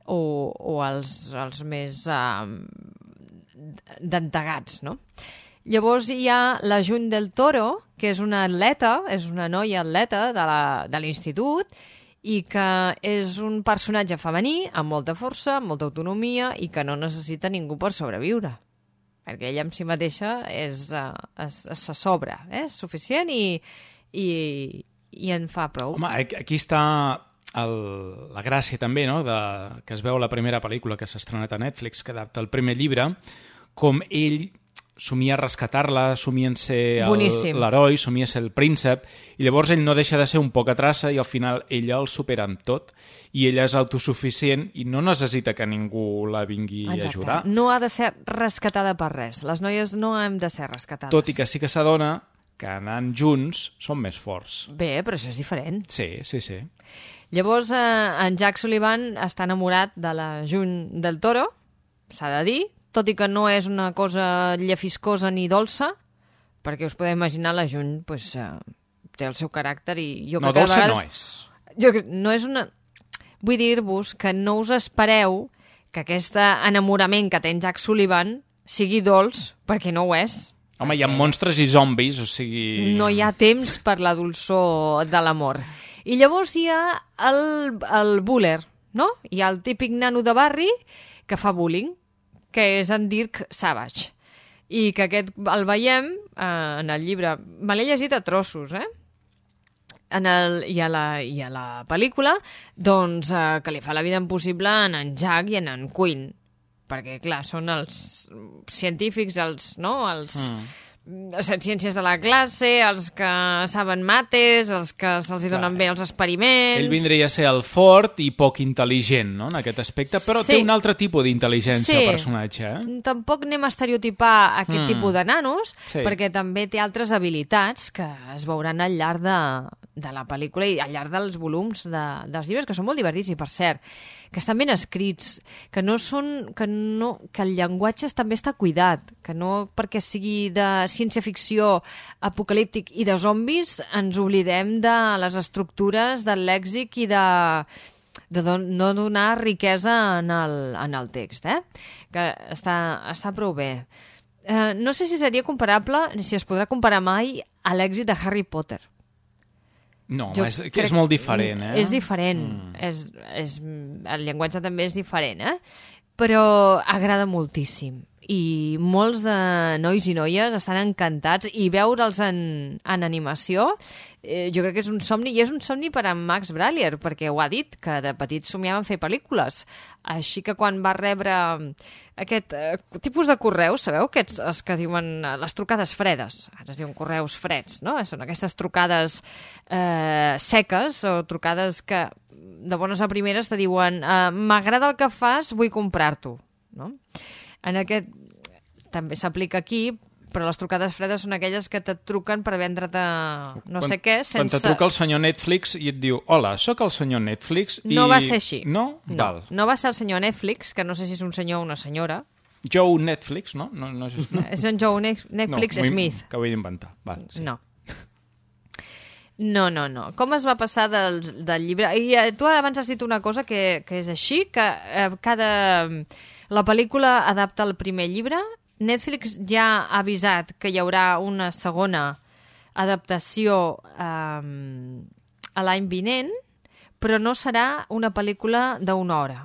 o, o els, els més uh, dentegats, no? Llavors hi ha la June del Toro, que és una atleta, és una noia atleta de l'institut, i que és un personatge femení amb molta força, amb molta autonomia i que no necessita ningú per sobreviure. Perquè ella en si mateixa és, uh, es, es se sobra, eh? És suficient i, i, i en fa prou. Home, aquí està el, la gràcia també, no?, de, que es veu la primera pel·lícula que s'ha estrenat a Netflix, que adapta el primer llibre, com ell somia rescatar-la, somia en ser l'heroi, somia ser el príncep, i llavors ell no deixa de ser un poca traça i al final ella el supera amb tot, i ella és autosuficient i no necessita que ningú la vingui Exacte. a ajudar. No ha de ser rescatada per res. Les noies no hem de ser rescatades. Tot i que sí que s'adona que anant junts són més forts. Bé, però això és diferent. Sí, sí, sí. Llavors, eh, en Jack Sullivan està enamorat de la June del Toro, s'ha de dir, tot i que no és una cosa llefiscosa ni dolça, perquè us podeu imaginar la June pues, eh, té el seu caràcter i jo no, crec que dolça vegades... no és. Jo, no és una... Vull dir-vos que no us espereu que aquest enamorament que té en Jack Sullivan sigui dolç, perquè no ho és. Home, hi ha monstres i zombis, o sigui... No hi ha temps per la dolçor de l'amor. I llavors hi ha el, el buller, no? Hi ha el típic nano de barri que fa bullying, que és en Dirk Savage. I que aquest el veiem eh, en el llibre... Me l'he llegit a trossos, eh? En el, i, a la, I a la pel·lícula, doncs, eh, que li fa la vida impossible en en Jack i en en Quinn. Perquè, clar, són els científics, els, no? Els... Mm. les ciències de la classe, els que saben mates, els que se'ls donen bé els experiments... Ell vindria a ser el fort i poc intel·ligent, no?, en aquest aspecte, però sí. té un altre tipus d'intel·ligència, sí. el personatge. Eh? Tampoc anem a estereotipar aquest mm. tipus de nanos, sí. perquè també té altres habilitats que es veuran al llarg de, de la pel·lícula i al llarg dels volums de, dels llibres, que són molt divertits, i per cert, que estan ben escrits, que no són, que, no, que el llenguatge també està cuidat, que no perquè sigui de ciència-ficció apocalíptic i de zombis ens oblidem de les estructures, del lèxic i de, de don, no donar riquesa en el, en el text, eh? Que està, està prou bé. Eh, no sé si seria comparable, si es podrà comparar mai a l'èxit de Harry Potter. No, home, és, que és molt diferent, eh? És diferent. Mm. És, és, el llenguatge també és diferent, eh? Però agrada moltíssim. i molts de nois i noies estan encantats i veure'ls en, en animació eh, jo crec que és un somni, i és un somni per a Max Brallier, perquè ho ha dit, que de petit somiava en fer pel·lícules. Així que quan va rebre aquest eh, tipus de correus, sabeu? Aquests, els que diuen eh, les trucades fredes, ara es diuen correus freds, no? Són aquestes trucades eh, seques o trucades que de bones a primeres te diuen eh, m'agrada el que fas, vull comprar-t'ho, no? En aquest també s'aplica aquí, però les trucades fredes són aquelles que te truquen per vendre't no quan, sé què sense... Quan te truca el senyor Netflix i et diu hola, sóc el senyor Netflix i... No va ser així. No? No, Val. no va ser el senyor Netflix, que no sé si és un senyor o una senyora. Joe Netflix, no? no, no, no. És en Joe Netflix no, Smith. Que ho he d'inventar. Val, sí. No. No, no, no. Com es va passar del, del llibre? I eh, tu abans has dit una cosa que, que és així, que eh, cada... La pel·lícula adapta el primer llibre. Netflix ja ha avisat que hi haurà una segona adaptació eh, a l'any vinent, però no serà una pel·lícula d'una hora.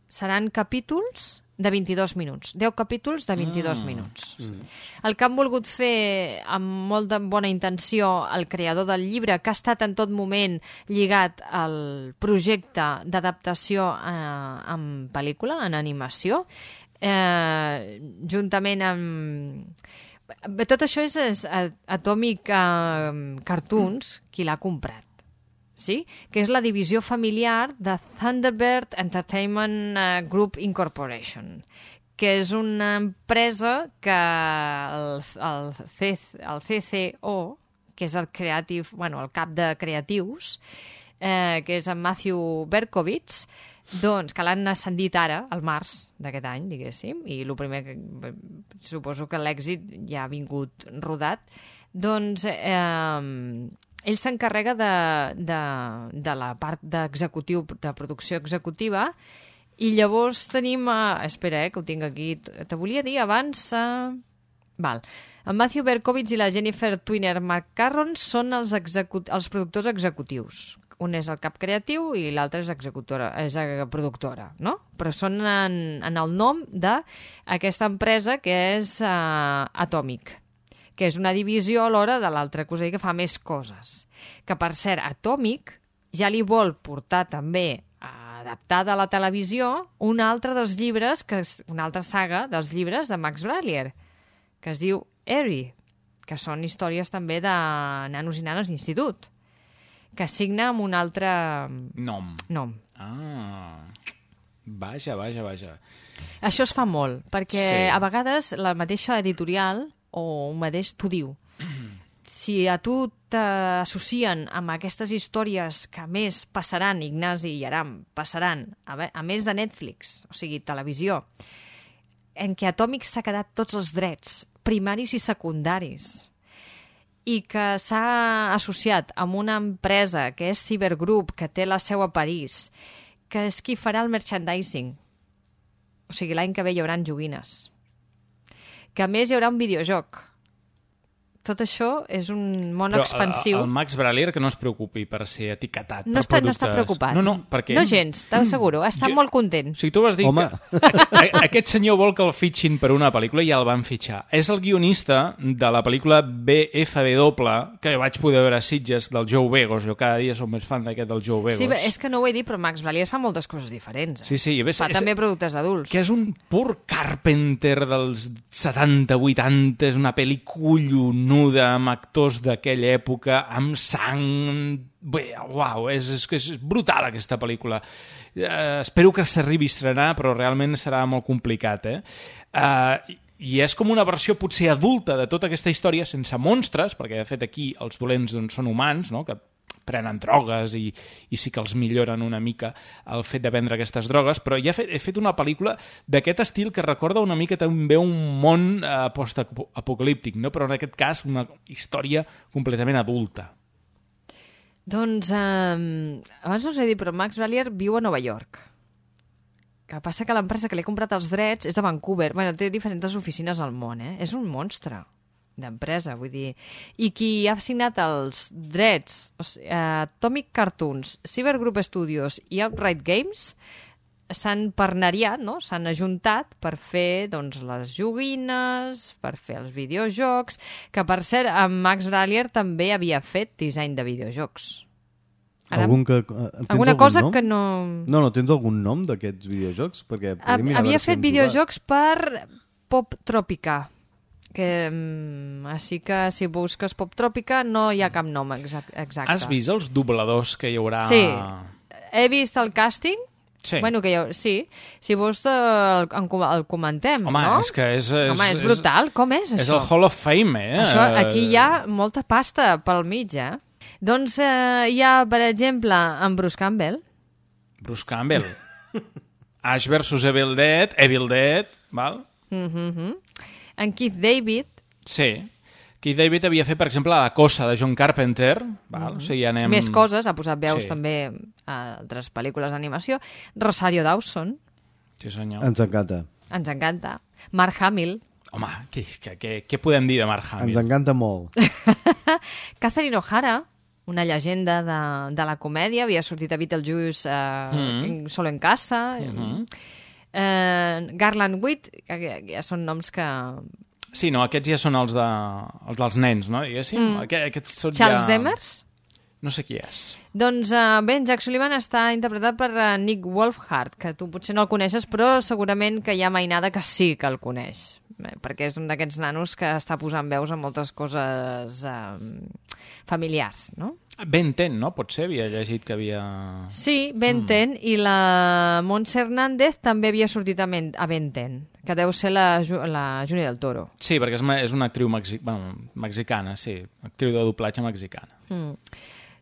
Seran capítols de vint-i-dos minuts. deu capítols de vint-i-dos mm. minuts. Mm. El que han volgut fer amb molt de bona intenció el creador del llibre, que ha estat en tot moment lligat al projecte d'adaptació eh, en pel·lícula, en animació, eh, juntament amb... Tot això és, és Atomic eh, Cartoons, qui l'ha comprat. Sí? Que és la divisió familiar de Thunderbird Entertainment Group Incorporation, que és una empresa que el, el, C, el C C O, que és el, creative, bueno, el cap de creatius, eh, que és en Matthew Berkowitz, doncs, que l'han ascendit ara, al març d'aquest any, diguéssim, i el primer que suposo que l'èxit ja ha vingut rodat, doncs... Eh, ell s'encarrega de, de, de la part d'executiu, de producció executiva, i llavors tenim... Uh, espera, eh, que ho tinc aquí. Te volia dir abans... Uh, val. En Matthew Berkowitz i la Jennifer Twiner McCarron són els, execut els productors executius. Un és el cap creatiu i l'altre és executora, és productora, no? Però són en, en el nom d'aquesta empresa que és uh, Atomic, que és una divisió alhora de l'altra cosa que fa més coses. Que, per cert, Atomic ja li vol portar també adaptada a la televisió un altre dels llibres, que és una altra saga dels llibres de Max Brallier, que es diu Harry, que són històries també de nanos i nanes d'institut, que signa amb un altre... Nom. Nom. Ah, vaja, vaja, vaja. Això es fa molt, perquè sí. A vegades la mateixa editorial o un mateix t'ho diu. Si a tu t'associen amb aquestes històries que a més passaran, Ignasi i Aram, passaran, a, a més de Netflix, o sigui, televisió, en què Atomic s'ha quedat tots els drets, primaris i secundaris, i que s'ha associat amb una empresa que és Cybergroup, que té la seu a París, que és qui farà el merchandising. O sigui, l'any que ve hi haurà joguines. Que a més hi haurà un videojoc. Tot això és un món però expansiu. El, el Max Brallier que no es preocupi per ser etiquetat no per està, productes... No està preocupat. No, no, perquè... No gens, t'asseguro. Està jo... molt content. O sigui, tu vas dir Home. que a, a, aquest senyor vol que el fitxin per una pel·lícula i ja el van fitxar. És el guionista de la pel·lícula B F W, que vaig poder veure a Sitges, del Joe Begos. Jo cada dia som més fan d'aquest del Joe Begos. Sí, és que no ho he dit, però Max Brallier fa moltes coses diferents. Eh? Sí, sí. Ves, fa és, també productes adults. Que és un pur Carpenter dels setanta vuitanta, és una pel·li collonuda amb actors d'aquella època, amb sang... Bé, uau, és, és, és brutal aquesta pel·lícula. Uh, espero que s'arribi a estrenar, però realment serà molt complicat, eh? Uh, I és com una versió potser adulta de tota aquesta història, sense monstres, perquè de fet aquí els dolents doncs, són humans, no?, que prenen drogues i, i sí que els milloren una mica el fet de prendre aquestes drogues, però ja he fet, he fet una pel·lícula d'aquest estil que recorda una mica també un món eh, post-apocalíptic, no? Però en aquest cas una història completament adulta. Doncs, eh, abans no us he dit, però Max Brallier viu a Nova York. Que passa que l'empresa que li ha comprat els drets és de Vancouver. Bueno, té diferents oficines al món, eh? És un monstre d'empresa, vull dir. I qui ha signat els drets, o sigui, uh, Atomic Cartoons, Cybergroup Studios i Outright Games, s'han parneriat, no? S'han ajuntat per fer doncs, les joguines, per fer els videojocs, que per cert, en Max Brallier també havia fet disseny de videojocs. Ara, algun que, tens alguna algun cosa nom? que no... No, no, tens algun nom d'aquests videojocs? Perquè havia fet si videojocs per Pop Tropica, que mm, així que si busques Pop Tropica no hi ha cap nom exacte. Has vist els dobladors que hi haurà? Sí, he vist el càsting. Sí. Bueno, que jo, sí. Si vols el, el comentem, Home, no? és que és... és Home, és brutal. Com és, és això? És el Hall of Fame, eh? Això, aquí hi ha molta pasta pel mig, eh? Doncs eh, hi ha, per exemple, en Bruce Campbell. Bruce Campbell. Ash versus Evil Dead. Evil Dead, val? Mm-hmm. En Keith David. Sí. Keith David havia fet, per exemple, La cosa de John Carpenter. Val? O sigui, anem... Més coses, ha posat veus sí. també a altres pel·lícules d'animació. Rosario Dawson. Sí, senyor. Ens encanta. Ens encanta. Mark Hamill. Home, què, què, què, què podem dir de Mark Hamill? Ens encanta molt. Catherine O'Hara, una llegenda de, de la comèdia, havia sortit a Beetlejuice eh, mm. Solo en casa. Mm-hmm. eh, Garland Witt, que ja són noms que... Sí, no, aquests ja són els, de, els dels nens, no? Diguéssim. Mm. Aqu aquests són Charles ja... Demers? No sé qui és. Doncs uh, bé, en Jack Sullivan està interpretat per uh, Nick Wolfhard, que tu potser no el coneixes, però segurament que hi ha mainada que sí que el coneix, bé, perquè és un d'aquests nanos que està posant veus a moltes coses uh, familiars, no? Ben ten, no? Potser havia llegit que havia... Sí, Ben ten, mm. i la Montse Hernández també havia sortit a, Men a Ben ten, que deu ser la, la Júnia del Toro. Sí, perquè és, és una actriu mexi bueno, mexicana, sí, actriu de doblatge mexicana. Mm.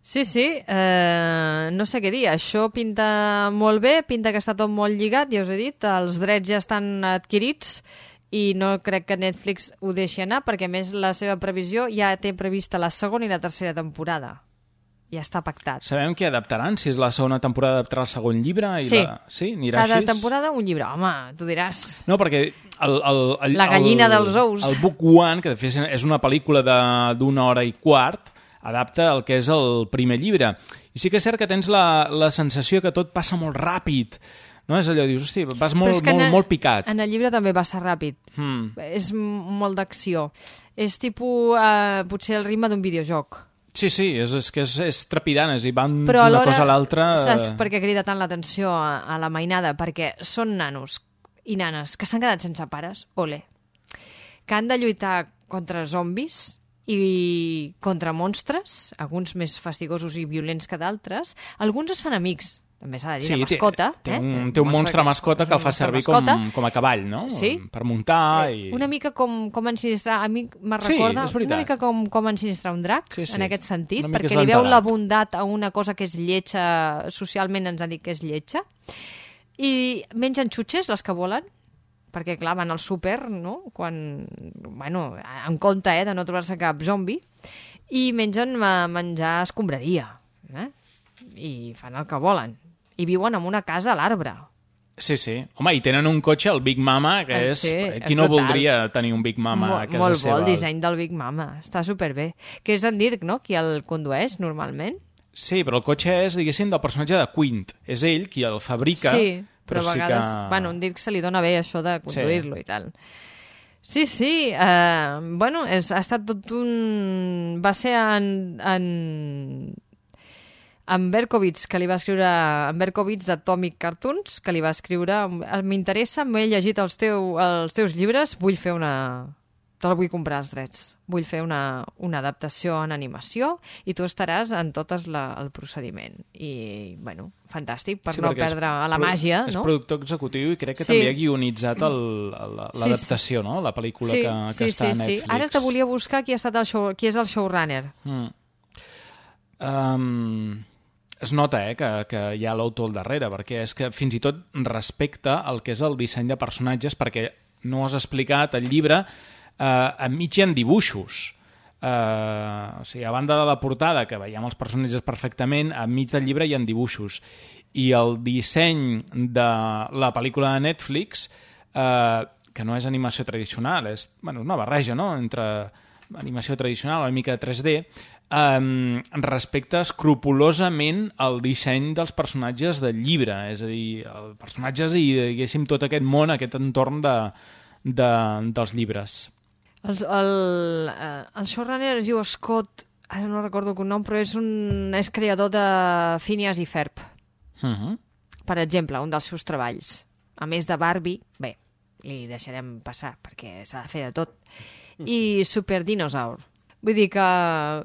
Sí, sí, eh, no sé què dir, això pinta molt bé, pinta que està tot molt lligat, ja us he dit, els drets ja estan adquirits i no crec que Netflix ho deixi anar, perquè a més la seva previsió ja té prevista la segona i la tercera temporada. Ja està pactat. Sabem què adaptaran? Si és la segona temporada adaptarà el segon llibre? I sí, la... sí anirà cada així? temporada un llibre. Home, tu diràs. No, perquè... El, el, el, la gallina el, dels ous. El Book One, que de fet és una pel·lícula d'una hora i quart, adapta el que és el primer llibre. I sí que és cert que tens la, la sensació que tot passa molt ràpid. No? És allò, dius, hosti, vas molt, molt, el, molt picat. En el llibre també va ser ràpid. Hmm. És molt d'acció. És tipus, eh, potser el ritme d'un videojoc. Sí, sí, és, és que és, és trepidant, és, i van d'una cosa a l'altra... Saps per què crida tant l'atenció a, a la mainada? Perquè són nanos i nanes que s'han quedat sense pares, ole, que han de lluitar contra zombis i contra monstres, alguns més fastigosos i violents que d'altres. Alguns es fan amics, també s'ha de dir, sí, de mascota. Té, té, eh? un, té un monstre mascota que el fa servir com, com a cavall, no? Sí. Per muntar i... Una mica com, com ensinistrar, a mi me recorda sí, una mica com, com ensinistrar un drac, sí, sí. en aquest sentit, una perquè li veu la bondat a una cosa que és lletja, socialment ens han dit que és lletja, i mengen xutxes, les que volen, perquè, clar, van al súper, no?, quan, bueno, en compte, eh, de no trobar-se cap zombi, i mengen menjar escombraria, eh? I fan el que volen. I viuen en una casa a l'arbre. Sí, sí. Home, i tenen un cotxe, el Big Mama, que és... Sí, qui no total. voldria tenir un Big Mama Mo a casa molt seva? Molt bo el disseny del Big Mama. Està superbé. Que és en Dirk, no?, qui el condueix normalment. Sí, però el cotxe és, diguéssim, del personatge de Quint. És ell qui el fabrica, sí, però, però a vegades... sí que... Bueno, en Dirk se li dona bé això de conduir-lo sí. i tal. Sí, sí. Uh, bueno, és, ha estat tot un... Va ser en... en... en Berkowitz, que li va escriure... En Berkowitz d'Atomic Cartoons, que li va escriure... M'interessa, m'he llegit els, teu, els teus llibres, vull fer una... Te'l vull comprar els drets. Vull fer una, una adaptació en animació i tu estaràs en tot la, el procediment. I, bueno, fantàstic, per sí, no perdre la màgia, és no? És productor executiu i crec que sí. també ha guionitzat l'adaptació, sí, sí. no? La pel·lícula sí, que, que sí, està sí, a Netflix. Sí. Ara te volia buscar qui, ha estat el show, qui és el showrunner. Mm. Um, es nota eh, que, que hi ha l'autor al darrere, perquè és que fins i tot respecta el que és el disseny de personatges, perquè no has explicat el llibre... Uh, enmig hi ha dibuixos. Uh, o sigui, a banda de la portada, que veiem els personatges perfectament, enmig del llibre hi ha dibuixos. I el disseny de la pel·lícula de Netflix, uh, que no és animació tradicional, és bueno, una barreja, no?, entre animació tradicional, una mica de tres D, um, respecta escrupulosament el disseny dels personatges del llibre, és a dir, els personatges i, diguéssim, tot aquest món, aquest entorn de, de, dels llibres. El, el, el showrunner es diu Scott, ara no recordo el nom, però és, un, és creador de Phineas i Ferb. Uh-huh. Per exemple, un dels seus treballs. A més de Barbie, bé, li deixarem passar, perquè s'ha de fer de tot. I Super Dinosaur. Vull dir que,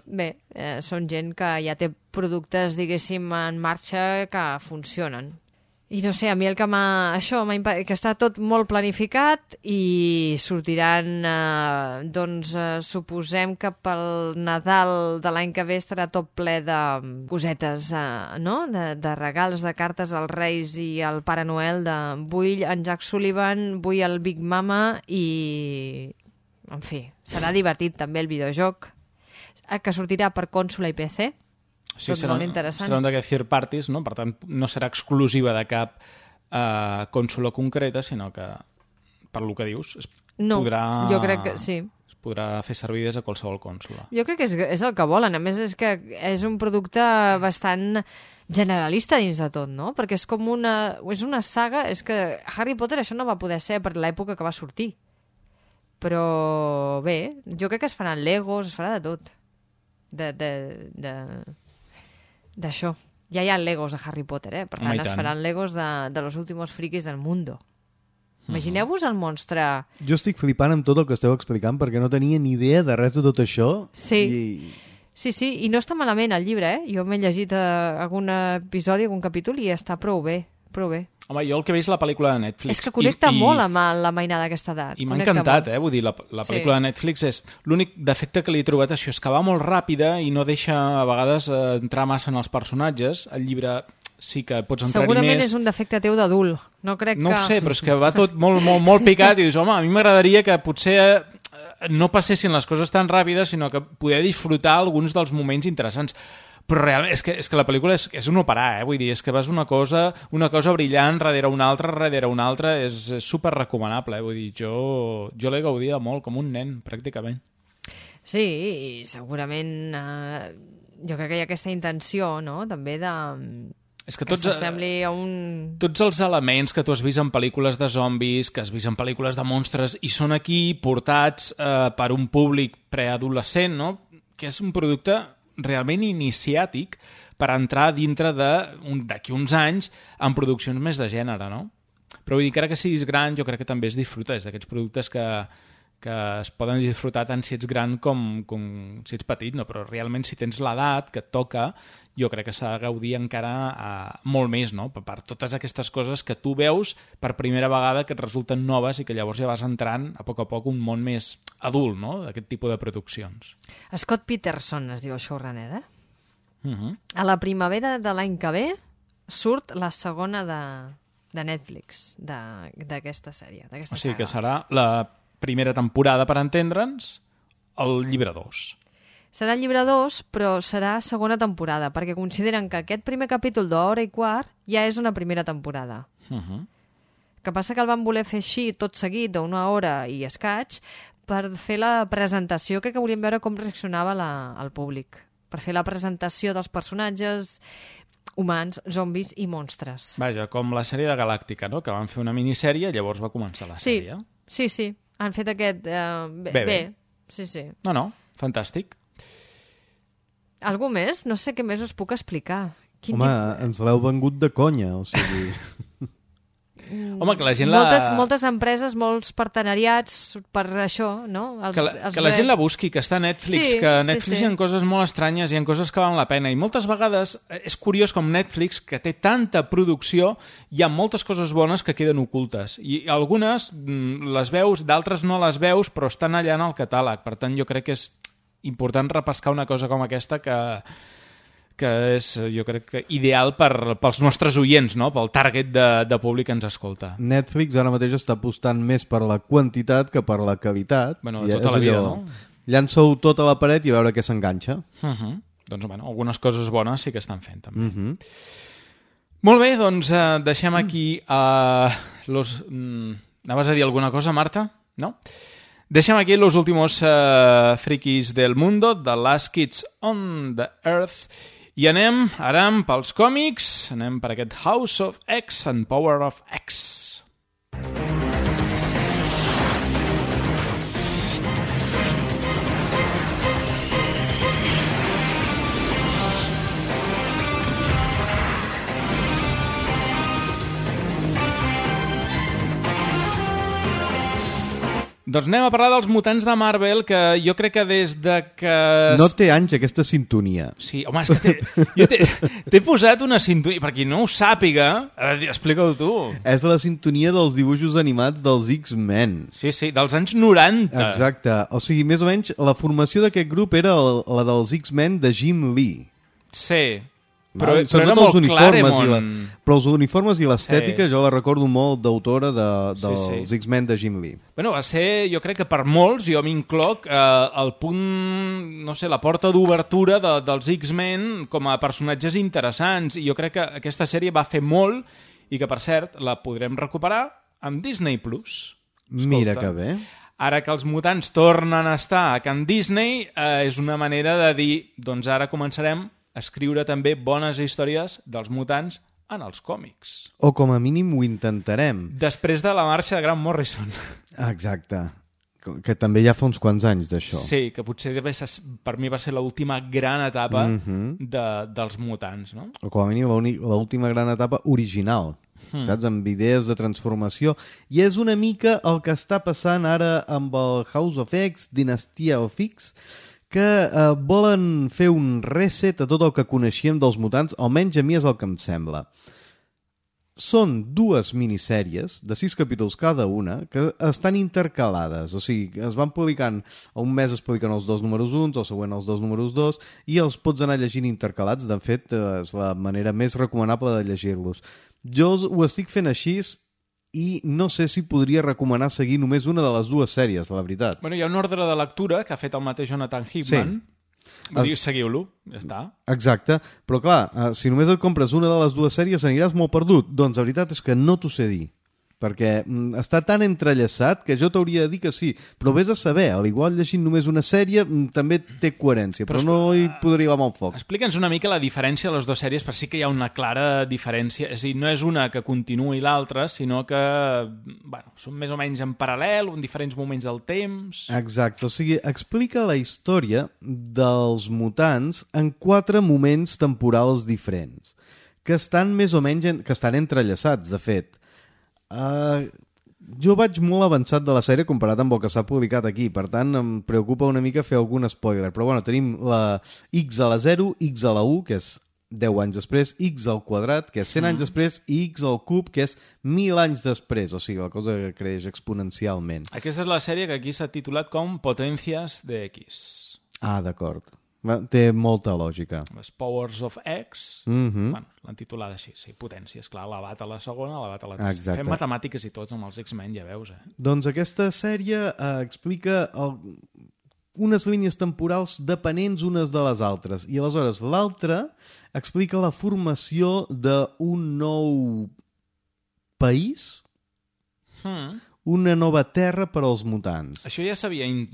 bé, eh, són gent que ja té productes, diguéssim, en marxa que funcionen. I no sé, a mi el que m'ha... Això, m'ha impa... que està tot molt planificat i sortiran, eh, doncs, eh, suposem que pel Nadal de l'any que ve estarà tot ple de cosetes, eh, no?, de, de regals, de cartes als Reis i al Pare Noel, de vull en Jack Sullivan, vull el Big Mama i... En fi, serà divertit també el videojoc, que sortirà per consola i P C. Sí, tot serà, molt interessant. serà un d'aquests third parties, no? Per tant, no serà exclusiva de cap eh, consola concreta, sinó que, per lo que dius, es no, podrà... jo crec que sí. Es podrà fer servir des de qualsevol consola. Jo crec que és, és el que volen. A més, és que és un producte bastant generalista dins de tot, no? Perquè és com una... És una saga... És que Harry Potter això no va poder ser per l'època que va sortir. Però bé, jo crec que es faran Legos, es farà de tot. De... de, de... d'això. Ja hi ha Legos de Harry Potter, eh? Per tant, Home, es faran Legos de, de los últimos frikis del mundo. Imagineu-vos el monstre... Jo estic flipant amb tot el que esteu explicant perquè no tenia ni idea de res de tot això. Sí, i... sí, sí, i no està malament el llibre, eh? Jo m'he llegit eh, algun episodi, algun capítol i està prou bé, prou bé. Home, jo el que he vist la pel·lícula de Netflix... És que connecta i, i... molt amb la mainada d'aquesta edat. I m'ha Connecta encantat, molt. eh? Vull dir, la, la pel·lícula Sí. de Netflix és... L'únic defecte que li he trobat això és que va molt ràpida i no deixa a vegades eh, entrar massa en els personatges. El llibre sí que pots entrar-hi més... Segurament és un defecte teu d'adult. No crec No que... ho sé, però és que va tot molt, molt, molt picat i dius, home, a mi m'agradaria que potser eh, no passessin les coses tan ràpides, sinó que poder disfrutar alguns dels moments interessants. Però realment, és que, és que la pel·lícula és, és un operar, eh? Vull dir, és que vas una cosa, una cosa brillant darrere una altra, darrere una altra, és, és super recomanable, eh? Vull dir, jo, jo l'he gaudida molt, com un nen, pràcticament. Sí, i segurament eh, jo crec que hi ha aquesta intenció, no?, també de... És que que tots, s'assembli a un... tots els elements que tu has vist en pel·lícules de zombis, que has vist en pel·lícules de monstres, i són aquí portats eh, per un públic preadolescent, no?, que és un producte realment iniciàtic per entrar dintre d'aquí un, uns anys en produccions més de gènere, no? Però vull dir que ara que siguis gran jo crec que també es disfruta, és d'aquests productes que, que es poden disfrutar tant si ets gran com, com si ets petit, no? Però realment si tens l'edat que et toca, jo crec que s'ha de gaudir encara eh, molt més, no? Per, per totes aquestes coses que tu veus per primera vegada que et resulten noves i que llavors ja vas entrant a poc a poc un món més adult, no?, d'aquest tipus de produccions. Scott Peterson es diu el showrunner, eh? Uh-huh. A la primavera de l'any que ve surt la segona de, de Netflix d'aquesta sèrie. O sigui que serà la primera temporada, per entendre'ns, el llibre dos. Serà el llibre dos, però serà segona temporada, perquè consideren que aquest primer capítol d'hora i quart ja és una primera temporada. Uh-huh. Que passa que el van voler fer així, tot seguit, d'una hora i escaig, per fer la presentació, crec que volíem veure com reaccionava la, el públic, per fer la presentació dels personatges humans, zombis i monstres. Vaja, com la sèrie de Galàctica, no?, que van fer una minissèrie, llavors va començar la sí, sèrie. Sí, sí, han fet aquest... Uh, bé, bé, bé. bé, sí, sí. No, no, fantàstic. Algú més? No sé què més us puc explicar. Quin Home, tip... ens l'heu vengut de conya, o sigui... Home, que la gent moltes, la... moltes empreses, molts partenariats per això, no? Els, que la, els que la de... gent la busqui, que està a Netflix, sí, que a Netflix sí, sí. hi ha coses molt estranyes, hi ha coses que valen la pena, i moltes vegades és curiós com Netflix, que té tanta producció, hi ha moltes coses bones que queden ocultes, i algunes les veus, d'altres no les veus, però estan allà en el catàleg. Per tant, jo crec que és important repescar una cosa com aquesta que... que és, jo crec, que ideal per, pels nostres oients, no?, pel target de, de públic que ens escolta. Netflix ara mateix està apostant més per la quantitat que per la qualitat. Bueno, I tota la vida, no? Llança-ho tot a la paret i a veure què s'enganxa. Uh-huh. Doncs, bueno, algunes coses bones sí que estan fent, també. Uh-huh. Molt bé, doncs eh, deixem aquí... Uh, los... Mm, anaves a dir alguna cosa, Marta? No? Deixem aquí los últimos uh, frikis del mundo, The Last Kids on the Earth, i anem, aram, pels còmics, anem per aquest House of X and Power of X. Doncs anem a parlar dels mutants de Marvel, que jo crec que des de que... No té anys aquesta sintonia. Sí, home, és que jo t'he posat una sintonia, per qui no ho sàpiga, explica-ho tu. És la sintonia dels dibuixos animats dels X-Men. Sí, sí, dels anys noranta. Exacte, o sigui, més o menys, la formació d'aquest grup era la dels X-Men de Jim Lee. Sí, però, Val? però era molt Claremont. La, però els uniformes i l'estètica sí. Jo la recordo molt d'autora de, dels sí, sí. X-Men de Jim Lee. Bueno, va ser, jo crec que per molts, jo m'incloc, eh, el punt, no sé, la porta d'obertura de, dels X-Men com a personatges interessants, i jo crec que aquesta sèrie va fer molt, i que, per cert, la podrem recuperar amb Disney Plus. Escolta, mira que bé. Ara que els mutants tornen a estar a Can Disney, eh, és una manera de dir, doncs ara començarem escriure també bones històries dels mutants en els còmics. O com a mínim ho intentarem. Després de la marxa de Grant Morrison. Exacte. Que també ja fa uns quants anys d'això. Sí, que potser per mi va ser l'última gran etapa mm-hmm. de, dels mutants, no? O com a mínim l'última gran etapa original, mm. saps? Amb idees de transformació. I és una mica el que està passant ara amb el House of X, Dinastia of X, que eh, volen fer un reset a tot el que coneixíem dels mutants, almenys a mi és el que em sembla. Són dues minissèries de sis capítols cada una que estan intercalades, o sigui, es van publicant, un mes es publiquen els dos números uns, el següent els dos números dos, i els pots anar llegint intercalats. De fet, és la manera més recomanable de llegir-los. Jo ho estic fent així i no sé si podria recomanar seguir només una de les dues sèries, la veritat. Bueno, hi ha un ordre de lectura que ha fet el mateix Jonathan Hickman. Sí. Vull dir, seguiu-lo, ja està. Exacte, però clar, si només et compres una de les dues sèries aniràs molt perdut. Doncs la veritat és que no t'ho sé dir, perquè mm, està tan entrellaçat que jo t'hauria de dir que sí, però vés a saber, al igual llegint només una sèrie mm, també té coherència, però, però no hi podria anar amb foc. Explica'ns una mica la diferència de les dues sèries, per sí que hi ha una clara diferència, és a dir, no és una que continuï l'altra, sinó que bueno, són més o menys en paral·lel, en diferents moments del temps... Exacte, o sigui, explica la història dels mutants en quatre moments temporals diferents, que estan més o menys, en... que estan entrellaçats, de fet. Uh, jo vaig molt avançat de la sèrie comparat amb el que s'ha publicat aquí, per tant em preocupa una mica fer algun spoiler, però bueno, tenim la X a la zero, X a la u, que és deu anys després, X al quadrat, que és cent anys després, i X al cub, que és mil anys després, o sigui, la cosa que creix exponencialment. Aquesta és la sèrie que aquí s'ha titulat com Potencias de X. Ah, d'acord. Té molta lògica. Les Powers of X, mm-hmm. bueno, l'han titulat així, sí, potències, clar, elevat a la segona, elevat a la tercera. Exacte. Fem matemàtiques i tots amb els X-Men, ja veus, eh? Doncs aquesta sèrie eh, explica el... unes línies temporals dependents unes de les altres, i aleshores l'altra explica la formació d'un nou país, hmm. una nova terra per als mutants. Això ja s'havia in...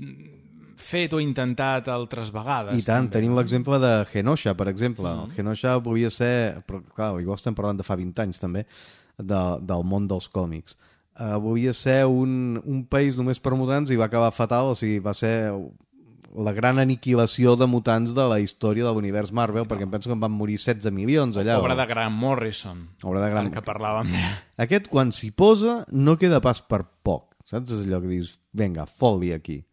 fet o intentat altres vegades. I tant, també. tenim l'exemple de Genosha, per exemple. Mm. Genosha volia ser, però clar, igual estem parlant de fa vint anys també, de, del món dels còmics. Uh, volia ser un, un país només per mutants i va acabar fatal, o sigui, va ser la gran aniquilació de mutants de la història de l'univers Marvel, no. perquè em penso que en van morir setze milions allà. Obra de Grant Morrison, Obra de Grant... que parlàvem. Aquest, quan s'hi posa, no queda pas per poc. Saps? És allò que dius, vinga, fot-li aquí.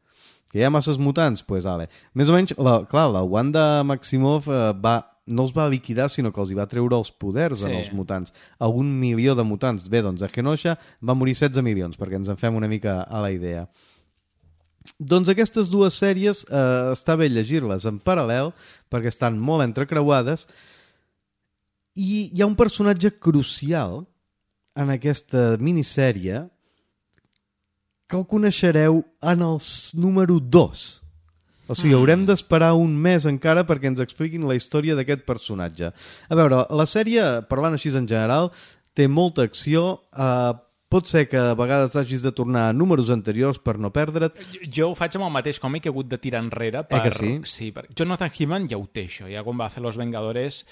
Que hi ha masses mutants? Doncs, pues, ale. Més o menys, la, clar, la Wanda Maximoff eh, va, no els va liquidar, sinó que els hi va treure els poders sí. en els mutants. A un milió de mutants. Bé, doncs a Genosha van morir setze milions, perquè ens en fem una mica a la idea. Doncs aquestes dues sèries eh, està bé llegir-les en paral·lel, perquè estan molt entrecreuades, i hi ha un personatge crucial en aquesta minissèrie que el coneixereu en el número dos. O sigui, haurem d'esperar un mes encara perquè ens expliquin la història d'aquest personatge. A veure, la sèrie, parlant així en general, té molta acció, eh, pot ser que a vegades hagis de tornar a números anteriors per no perdre't. Jo ho faig amb el mateix còmic, he hagut de tirar enrere per... Eh que sí? Sí, per... Jonathan Hickman ja ho té, això. Ja quan va fer Los Vengadores...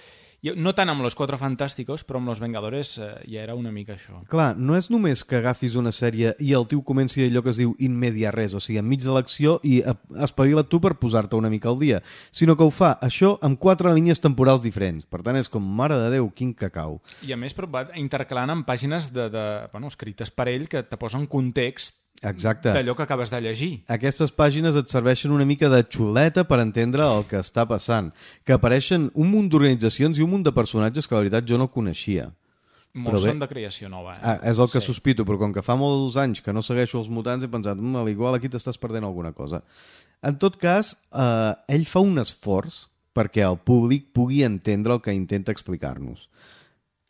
No tant amb Los Cuatro Fantásticos, però amb Los Vengadores eh, ja era una mica això. Clar, no és només que agafis una sèrie i el tio comenci allò que es diu in media res, o sigui, enmig de l'acció, i espavila't tu per posar-te una mica al dia, sinó que ho fa, això, amb quatre línies temporals diferents. Per tant, és com, mare de Déu, quin cacau. I a més, però va intercalant amb pàgines de, de, bueno, escrites per ell que te posen context Exacte. D'allò que acabes de llegir. Aquestes pàgines et serveixen una mica de xuleta per entendre el que està passant, que apareixen un munt d'organitzacions i un munt de personatges que la veritat jo no coneixia. Molts són de creació nova. Eh? Ah, és el que sí. sospito, però com que fa molts anys que no segueixo els mutants he pensat, mmm, igual aquí t'estàs perdent alguna cosa. En tot cas, eh, ell fa un esforç perquè el públic pugui entendre el que intenta explicar-nos.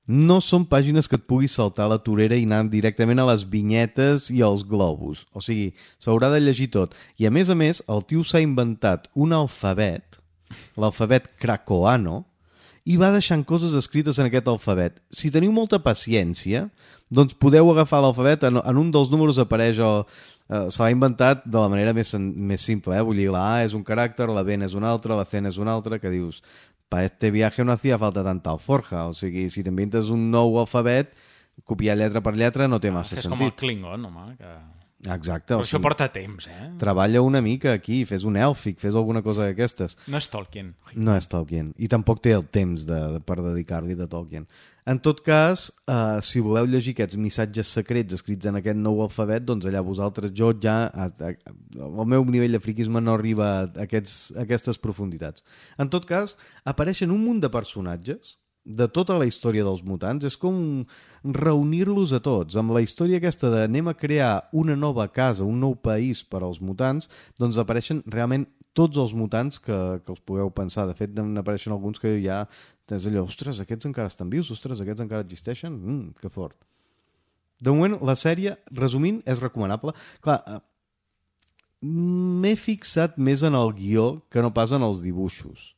No són pàgines que et puguis saltar la torera i anar directament a les vinyetes i als globus. O sigui, s'haurà de llegir tot. I a més a més, el tio s'ha inventat un alfabet, l'alfabet krakoano, i va deixant coses escrites en aquest alfabet. Si teniu molta paciència, doncs podeu agafar l'alfabet, en, en un dels números apareix el... Uh, se l'ha inventat de la manera més, més simple, eh? Vull dir, la A és un caràcter, la B és un altre, la C és un altre, que dius... para este viaje no hacía falta tanta alforja. O sigui, si t'inventes un nou alfabet, copiar lletra per lletra no té massa ah, sentit. És com el Klingon, home. Que... Exacte. Però o això sigui, porta temps, eh? Treballa una mica aquí, fes un èlfic, fes alguna cosa d'aquestes. No és Tolkien. No és Tolkien. I tampoc té el temps de, de, per dedicar-li de Tolkien. En tot cas, eh, si voleu llegir aquests missatges secrets escrits en aquest nou alfabet, doncs allà vosaltres, jo ja... A, a, el meu nivell de friquisme no arriba a, aquests, a aquestes profunditats. En tot cas, apareixen un munt de personatges de tota la història dels mutants. És com reunir-los a tots. Amb la història aquesta de anem a crear una nova casa, un nou país per als mutants, doncs apareixen realment tots els mutants que, que us pugueu pensar. De fet, n'apareixen alguns que ja... És allò, ostres, aquests encara estan vius, ostres, aquests encara existeixen, mm, que fort. De moment, la sèrie, resumint, és recomanable. Clar, m'he fixat més en el guió que no pas en els dibuixos,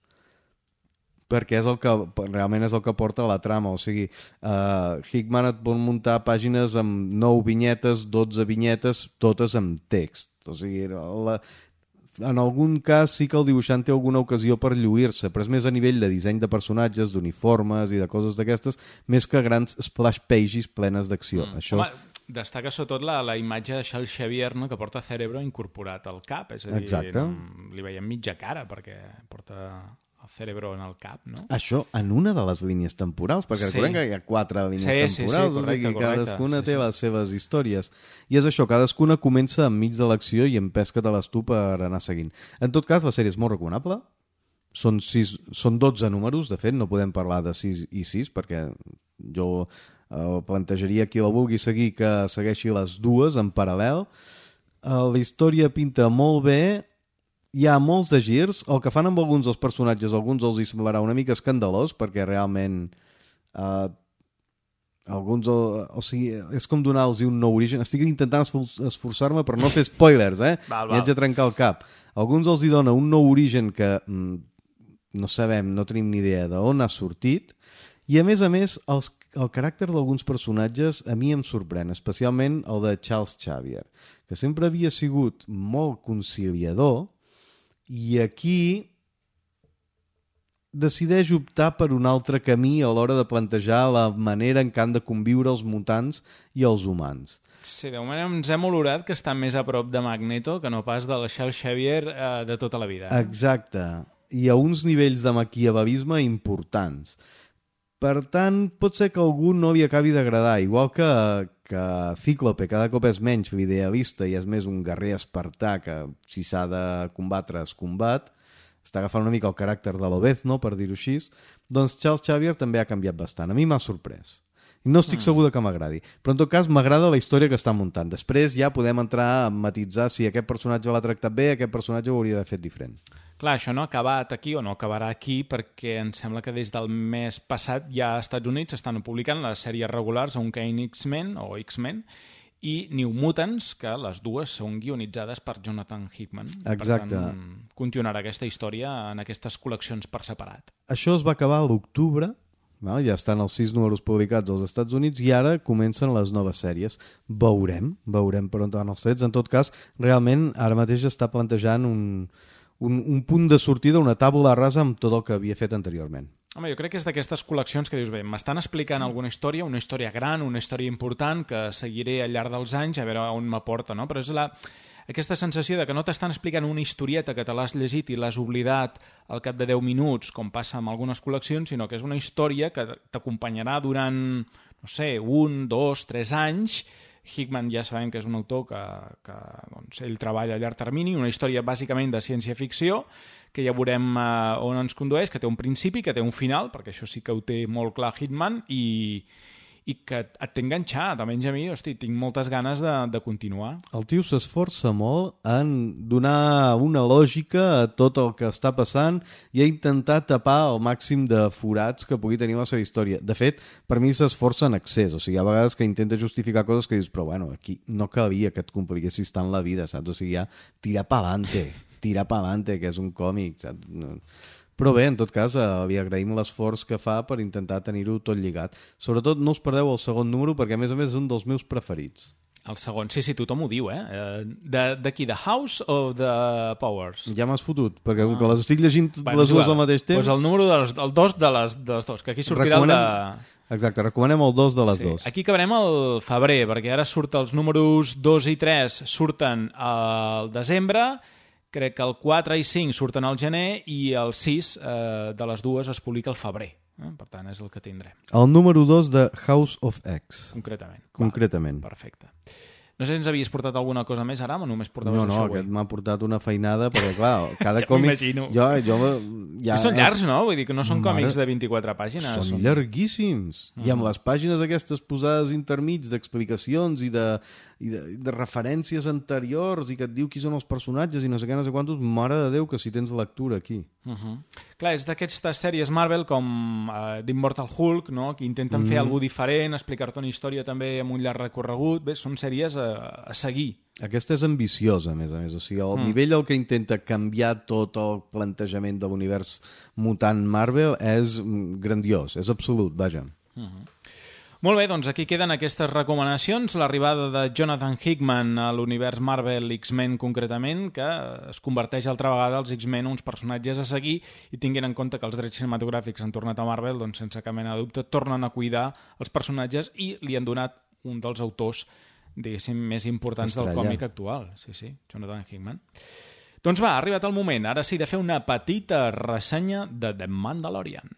perquè és el que, realment és el que porta la trama. O sigui, uh, Hickman et pot muntar pàgines amb nou vinyetes, dotze vinyetes, totes amb text. O sigui, la... en algun cas sí que el dibuixant té alguna ocasió per lluir-se, però és més a nivell de disseny de personatges, d'uniformes i de coses d'aquestes, més que grans splash pages plenes d'acció. Mm. Això... Home, destaca sobretot la, la imatge de Charles Xavier, no?, que porta Cerebro incorporat al cap, és a dir, exacte. Li veiem mitja cara perquè porta el Cerebro en el cap, no? Això en una de les línies temporals, perquè sí. Recordem que hi ha quatre línies sí, temporals, sí, sí, correcte, o sigui, cadascuna correcte. té sí, sí. les seves històries. I és això, cadascuna comença enmig de l'acció i empesca-te-les tu per anar seguint. En tot cas, la sèrie és molt recomanable. Són, sis, són dotze números, de fet, no podem parlar de sis i sis, perquè jo eh, plantejaria qui la vulgui seguir que segueixi les dues en paral·lel. Eh, la història pinta molt bé. Hi ha molts de girs. El que fan amb alguns dels personatges, alguns els hi semblarà una mica escandalós, perquè realment eh, alguns, o, o sigui, és com donar-los un nou origen. Estic intentant esforçar-me per no fer spoilers, eh? Val, val. I haig de trencar el cap. Alguns els hi dona un nou origen que mm, no sabem, no tenim ni idea d'on ha sortit, i a més a més els, el caràcter d'alguns personatges a mi em sorprèn, especialment el de Charles Xavier, que sempre havia sigut molt conciliador, i aquí decideix optar per un altre camí a l'hora de plantejar la manera en què han de conviure els mutants i els humans. Sí, de moment ens hem olorat que està més a prop de Magneto que no pas del Charles Xavier eh, de tota la vida. Eh? Exacte. I a uns nivells de maquiavelisme importants. Per tant, pot ser que algú no li acabi d'agradar, igual que, que Cíclope cada cop és menys l'idealista i és més un guerrer espartà que si s'ha de combatre es combat, està agafant una mica el caràcter de l'Obezno, per dir-ho així, doncs Charles Xavier també ha canviat bastant. A mi m'ha sorprès. I no estic mm. segur que m'agradi. Però en tot cas m'agrada la història que està muntant. Després ja podem entrar a matitzar si aquest personatge l'ha tractat bé, aquest personatge ho hauria d'haver fet diferent. Clar, això no ha acabat aquí o no acabarà aquí perquè em sembla que des del mes passat ja als Estats Units estan publicant les sèries regulars On Kane X-Men o X-Men i New Mutants, que les dues són guionitzades per Jonathan Hickman. Exacte. Per tant, continuarà aquesta història en aquestes col·leccions per separat. Això es va acabar a l'octubre Val? Ja estan els sis números publicats als Estats Units i ara comencen les noves sèries. Veurem, veurem per on van els trets. En tot cas, realment, ara mateix està plantejant un, un, un punt de sortida, una tàbula rasa amb tot el que havia fet anteriorment. Home, jo crec que és d'aquestes col·leccions que dius, bé, m'estan explicant alguna història, una història gran, una història important, que seguiré al llarg dels anys a veure on m'aporta, no? Però és la... aquesta sensació de que no t'estan explicant una historieta que te l'has llegit i l'has oblidat al cap de deu minuts, com passa amb algunes col·leccions, sinó que és una història que t'acompanyarà durant, no sé, un, dos, tres anys. Hickman ja sabem que és un autor que, que doncs, ell treballa a llarg termini, una història bàsicament de ciència-ficció, que ja veurem uh, on ens condueix, que té un principi, que té un final, perquè això sí que ho té molt clar Hickman, i... i que et té enganxat, almenys a mi, hosti, tinc moltes ganes de, de continuar. El tio s'esforça molt en donar una lògica a tot el que està passant i a intentar tapar el màxim de forats que pugui tenir la seva història. De fet, per mi s'esforça en excés, o sigui, hi ha vegades que intenta justificar coses que dius, però bueno, aquí no calia que et compliquessis tant la vida, saps? O sigui, ja tirar pa'lante, tirar pa'lante, que és un còmic, saps? No... Però bé, en tot cas, eh, li agraïm l'esforç que fa per intentar tenir-ho tot lligat. Sobretot no us perdeu el segon número, perquè a més a més és un dels meus preferits. El segon, sí, sí, tothom ho diu, eh? De, de qui? De House o de Powers? Ja m'has fotut, perquè com ah. que les estic llegint bueno, les dues al mateix temps... Doncs pues el número dels, el dos de les, de les dos, que aquí sortirà recomanem... el de... Exacte, recomanem el dos de les sí. dos. Aquí acabarem el febrer, perquè ara surt els números dos i tres surten al desembre, crec que el quatre i cinc surten al gener i el sis eh, de les dues es publica al febrer. Eh? Per tant, és el que tindrem. El número dos de House of X. Concretament. Concretament. Vale, perfecte. No sé si ens havies portat alguna cosa més ara o només portaves no, no, això avui? No, no, aquest m'ha portat una feinada, perquè clar, cada ja còmic... m'imagino. Jo, jo, ja... I són llargs, no? Vull dir que no són Mare... còmics de vint-i-quatre pàgines. Són, són... llarguíssims. Uh -huh. I amb les pàgines aquestes posades intermig d'explicacions i de, i de, de referències anteriors i que et diu qui són els personatges i no sé què, no sé quantos, mare de Déu que si tens lectura aquí. Uh -huh. Clar, és d'aquestes sèries Marvel com uh, d'Immortal Hulk, no? Que intenten mm. fer alguna diferent, explicar-te una història també amb un llarg recorregut. Bé, són sèries a, a seguir. Aquesta és ambiciosa, a més a més. O sigui, el mm. nivell al que intenta canviar tot el plantejament de l'univers mutant Marvel és grandiós, és absolut, vaja. Uh -huh. Molt bé, doncs aquí queden aquestes recomanacions. L'arribada de Jonathan Hickman a l'univers Marvel X-Men concretament, que es converteix altra vegada als X-Men uns personatges a seguir, i tinguin en compte que els drets cinematogràfics han tornat a Marvel, doncs sense cap mena de dubte tornen a cuidar els personatges i li han donat un dels autors, diguéssim, més importants Estrella. Del còmic actual. Sí, sí, Jonathan Hickman. Doncs va, ha arribat el moment, ara sí, de fer una petita ressenya de The Mandalorian.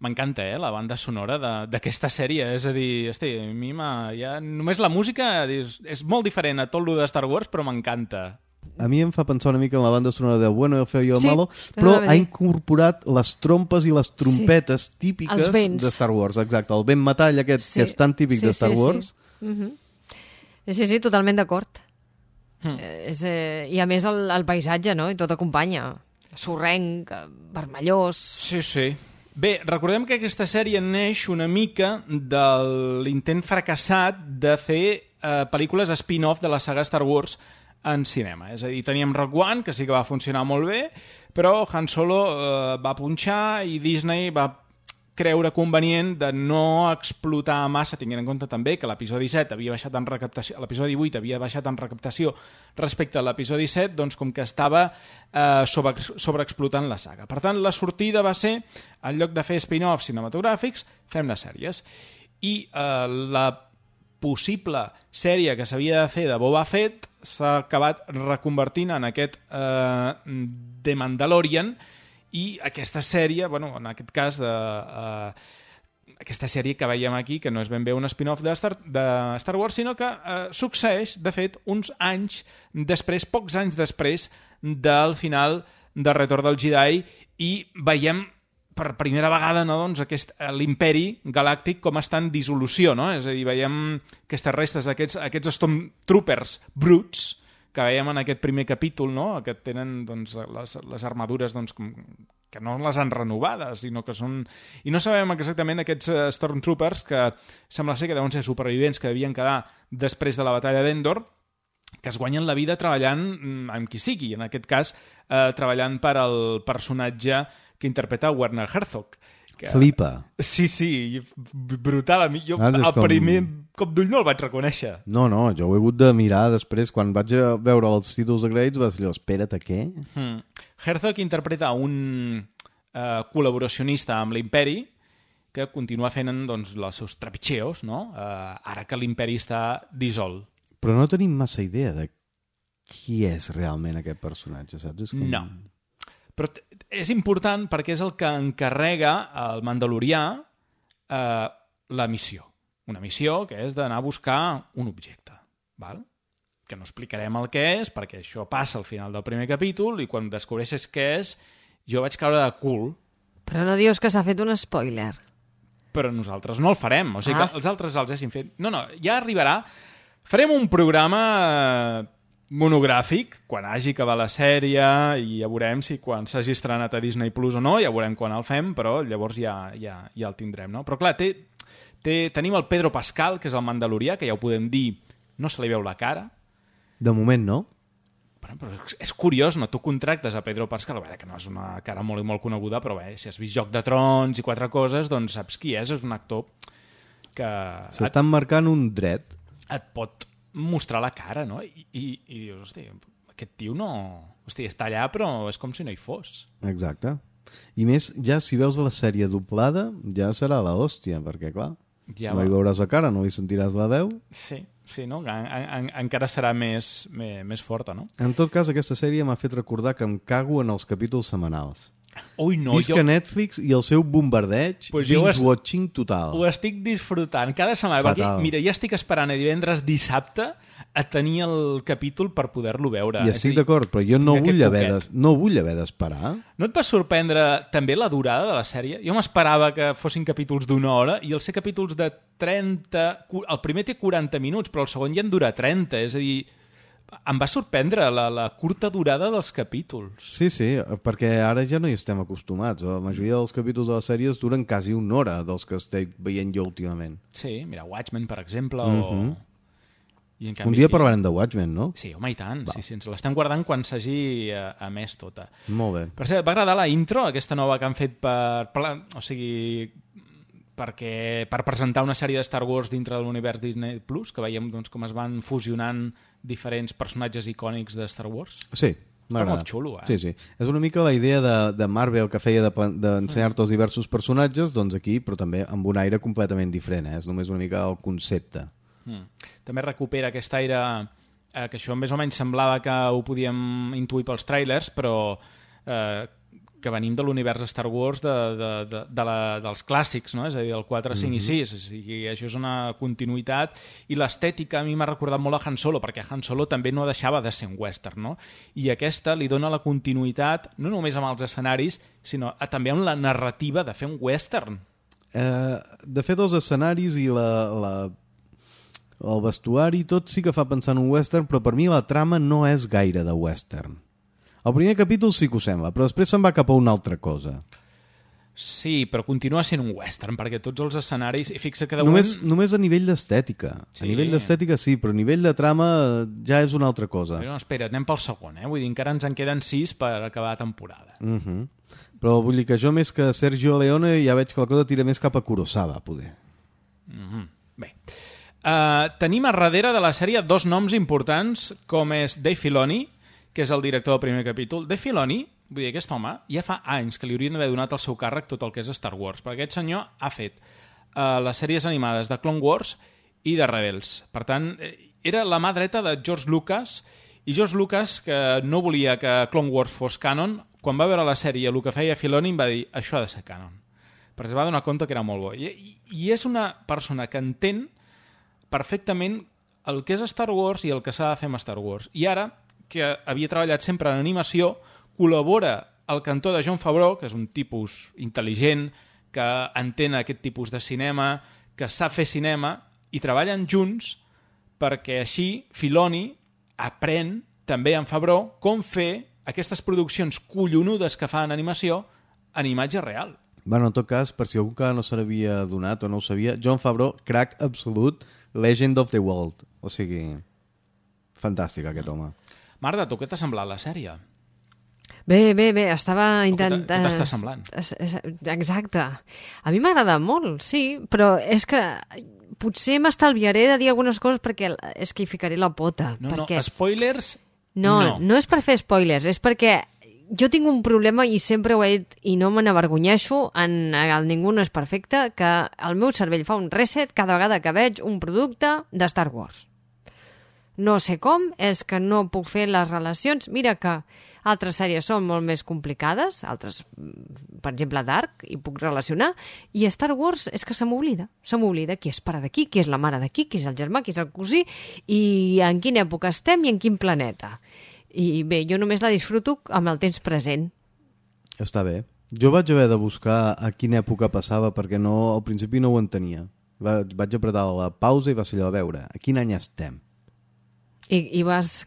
M'encanta, eh, la banda sonora d'aquesta sèrie. És a dir, hosti, a mi ja... només la música és, és molt diferent a tot lo de Star Wars, però m'encanta. A mi em fa pensar una mica en la banda sonora del Bueno, el Feo i el sí, Malo, però ha incorporat les trompes i les trompetes sí. típiques de Star Wars. Exacte, el vent metall aquest, sí. que és tan típic sí, de Star sí, Wars. Sí, uh -huh. sí, sí, totalment d'acord. Hmm. Eh, eh, I a més el, el paisatge, no? I tot acompanya. Sorrenc, vermellós... Sí, sí. Bé, recordem que aquesta sèrie neix una mica de l'intent fracassat de fer eh, pel·lícules spin-off de la saga Star Wars en cinema. És a dir, teníem Rogue One, que sí que va funcionar molt bé, però Han Solo eh, va punxar i Disney va creure convenient de no explotar massa, tenint en compte també que l'episodi set havia baixat en recaptació, l'episodi divuit havia baixat en recaptació respecte a l'episodi set, doncs com que estava eh, sobre, sobreexplotant la saga. Per tant, la sortida va ser, en lloc de fer spin-offs cinematogràfics, fem les sèries. I eh, la possible sèrie que s'havia de fer de Boba Fett s'ha acabat reconvertint en aquest eh, The Mandalorian, i aquesta sèrie, bueno, en aquest cas, de, uh, aquesta sèrie que veiem aquí, que no és ben bé un spin-off de Star, de Star Wars, sinó que uh, succeeix, de fet, uns anys després, pocs anys després del final de Retorn del Jedi, i veiem per primera vegada, no, doncs, aquest, l'imperi galàctic com està en dissolució, no? És a dir, veiem aquestes restes, aquests, aquests Stormtroopers bruts que veiem en aquest primer capítol, no? Que tenen doncs, les, les armadures doncs, que no les han renovades, sinó que són... I no sabem exactament aquests Stormtroopers, que sembla ser que deuen ser supervivents que devien quedar després de la batalla d'Endor, que es guanyen la vida treballant amb qui sigui, en aquest cas eh, treballant per al personatge que interpreta Werner Herzog. Que... Flipa. Sí, sí, brutal. A mi, jo ah, el com... primer cop d'ull no el vaig reconèixer. No, no, jo ho he hagut de mirar després. Quan vaig a veure els títols de crèdits vaig dir, espera't, a què? Hmm. Herzog interpreta un eh, col·laboracionista amb l'imperi que continua fent doncs, els seus trepitxeos, no? eh, ara que l'imperi està dissolt. Però no tenim massa idea de qui és realment aquest personatge, saps? És com... No. Però és important perquè és el que encarrega al Mandalorià eh, la missió. Una missió que és d'anar a buscar un objecte, val? Que no explicarem el que és, perquè això passa al final del primer capítol i quan descobreixes què és, jo vaig caure de cul. Però no dius que s'ha fet un spoiler. Però nosaltres no el farem. O sigui ah. que els altres els hagin fet... No, no, ja arribarà. Farem un programa... Eh, monogràfic, quan hagi acabat la sèrie i ja veurem si quan s'hagi estrenat a Disney Plus o no, ja veurem quan el fem, però llavors ja, ja, ja el tindrem, no? Però clar, té, té, tenim el Pedro Pascal, que és el Mandalorià, que ja ho podem dir, no se li veu la cara. De moment no. Però, però és curiós, no? Tu contractes a Pedro Pascal, bé, que no és una cara molt i molt coneguda, però bé, si has vist Joc de Trons i quatre coses, doncs saps qui és, és un actor que... S'estan et... marcant un dret. Et pot mostrar la cara, no? I, i, i dius, hosti, aquest tio no... Hosti, està allà, però és com si no hi fos. Exacte. I més, ja si veus la sèrie doblada, ja serà la hòstia, perquè, clar, ja no va. Hi veuràs la cara, no hi sentiràs la veu. Sí, sí, no? En, en, encara serà més, més, més forta, no? En tot cas, aquesta sèrie m'ha fet recordar que em cago en els capítols setmanals. Ui, no, Visca jo... Netflix i el seu bombardeig, pues binge-watching es... total. Ho estic disfrutant cada setmana. Perquè, mira, ja estic esperant a divendres, dissabte, a tenir el capítol per poder-lo veure. I estic d'acord, però jo no vull, haver de, no vull haver d'esperar. No et va sorprendre també la durada de la sèrie? Jo m'esperava que fossin capítols d'una hora i els ser capítols de trenta... El primer té quaranta minuts, però el segon ja en dura trenta, és a dir... Em va sorprendre la, la curta durada dels capítols. Sí, sí, perquè ara ja no hi estem acostumats. La majoria dels capítols de les sèries duren quasi una hora dels que estic veient jo últimament. Sí, mira, Watchmen, per exemple, mm-hmm. o... I en canvi, un dia parlarem de Watchmen, no? Sí, home, i tant. Sí, sí, ens l'estem guardant quan s'hagi emès tota. Molt bé. Per cert, va agradar la intro, aquesta nova que han fet per... O sigui... perquè per presentar una sèrie de Star Wars dintre de l'univers Disney Plus, que veiem doncs, com es van fusionant diferents personatges icònics de Star Wars. Sí, Està m'agrada. molt xulo, eh? Sí, sí. És una mica la idea de, de Marvel que feia d'ensenyar-te de, els diversos personatges, doncs aquí, però també amb un aire completament diferent, eh? És només una mica el concepte. Mm. També recupera aquest aire eh, que això més o menys semblava que ho podíem intuir pels tràilers, però eh, que venim de l'univers Star Wars de, de, de, de la, dels clàssics, no? És a dir, del quatre, cinc mm-hmm. i sis. O sigui, això és una continuïtat i l'estètica a mi m'ha recordat molt a Han Solo, perquè Han Solo també no deixava de ser un western, no? I aquesta li dona la continuïtat no només amb els escenaris, sinó a, també amb la narrativa de fer un western. Eh, de fet, els escenaris i la, la, el vestuari, tot sí que fa pensar en un western, però per mi la trama no és gaire de western. El primer capítol sí que ho sembla, però després se'n va cap a una altra cosa. Sí, però continua sent un western, perquè tots els escenaris... I fixa que de només, moment... només a nivell d'estètica. Sí. A nivell d'estètica sí, però a nivell de trama ja és una altra cosa. Però no, espera, anem pel segon, eh? Vull dir, encara ens en queden sis per acabar la temporada. Uh-huh. Però vull dir que jo més que Sergio Leone ja veig que la cosa tira més cap a Kurosawa, poder. Uh-huh. Bé. Uh, tenim a darrere de la sèrie dos noms importants, com és Dave Filoni, que és el director del primer capítol. Dave Filoni, vull dir, aquest home, ja fa anys que li haurien d'haver donat al seu càrrec tot el que és Star Wars, perquè aquest senyor ha fet uh, les sèries animades de Clone Wars i de Rebels. Per tant, era la mà dreta de George Lucas, i George Lucas, que no volia que Clone Wars fos canon, quan va veure la sèrie, el que feia Filoni, em va dir, això ha de ser canon. Perquè es va donar compte que era molt bo. I, i, i és una persona que entén perfectament el que és Star Wars i el que s'ha de fer amb Star Wars. I ara, que havia treballat sempre en animació, col·labora al cantó de Jon Favreau, que és un tipus intel·ligent, que entén aquest tipus de cinema, que sap fer cinema, i treballen junts perquè així Filoni aprèn també en Favreau com fer aquestes produccions collonudes que fa en animació en imatge real. Bueno, en tot cas, per si algú que no se n'havia donat o no ho sabia, Jon Favreau, crack absolut, Legend of the World. O sigui, fantàstic aquest home. Marta, tu què t'ha semblat la sèrie? Bé, bé, bé, estava intentant... Què t'està semblant? Exacte. A mi m'agrada molt, sí, però és que potser m'estalviaré de dir algunes coses perquè és que hi ficaré la pota. No, perquè... no, spoilers... No, no, no és per fer spoilers, és perquè jo tinc un problema i sempre ho he dit i no me n'avergonyeixo, en el Ningú no és perfecte, que el meu cervell fa un reset cada vegada que veig un producte de Star Wars. No sé com, és que no puc fer les relacions. Mira que altres sèries són molt més complicades, altres, per exemple, Dark, i puc relacionar, i Star Wars és que se m'oblida. Se m'oblida qui és pare d'aquí, qui és la mare d'aquí, qui és el germà, qui és el cosí, i en quina època estem i en quin planeta. I bé, jo només la disfruto amb el temps present. Està bé. Jo vaig haver de buscar a quina època passava perquè no, al principi no ho entenia. Va, vaig apretar la pausa i va ser allò a veure a quin any estem. I, i vas...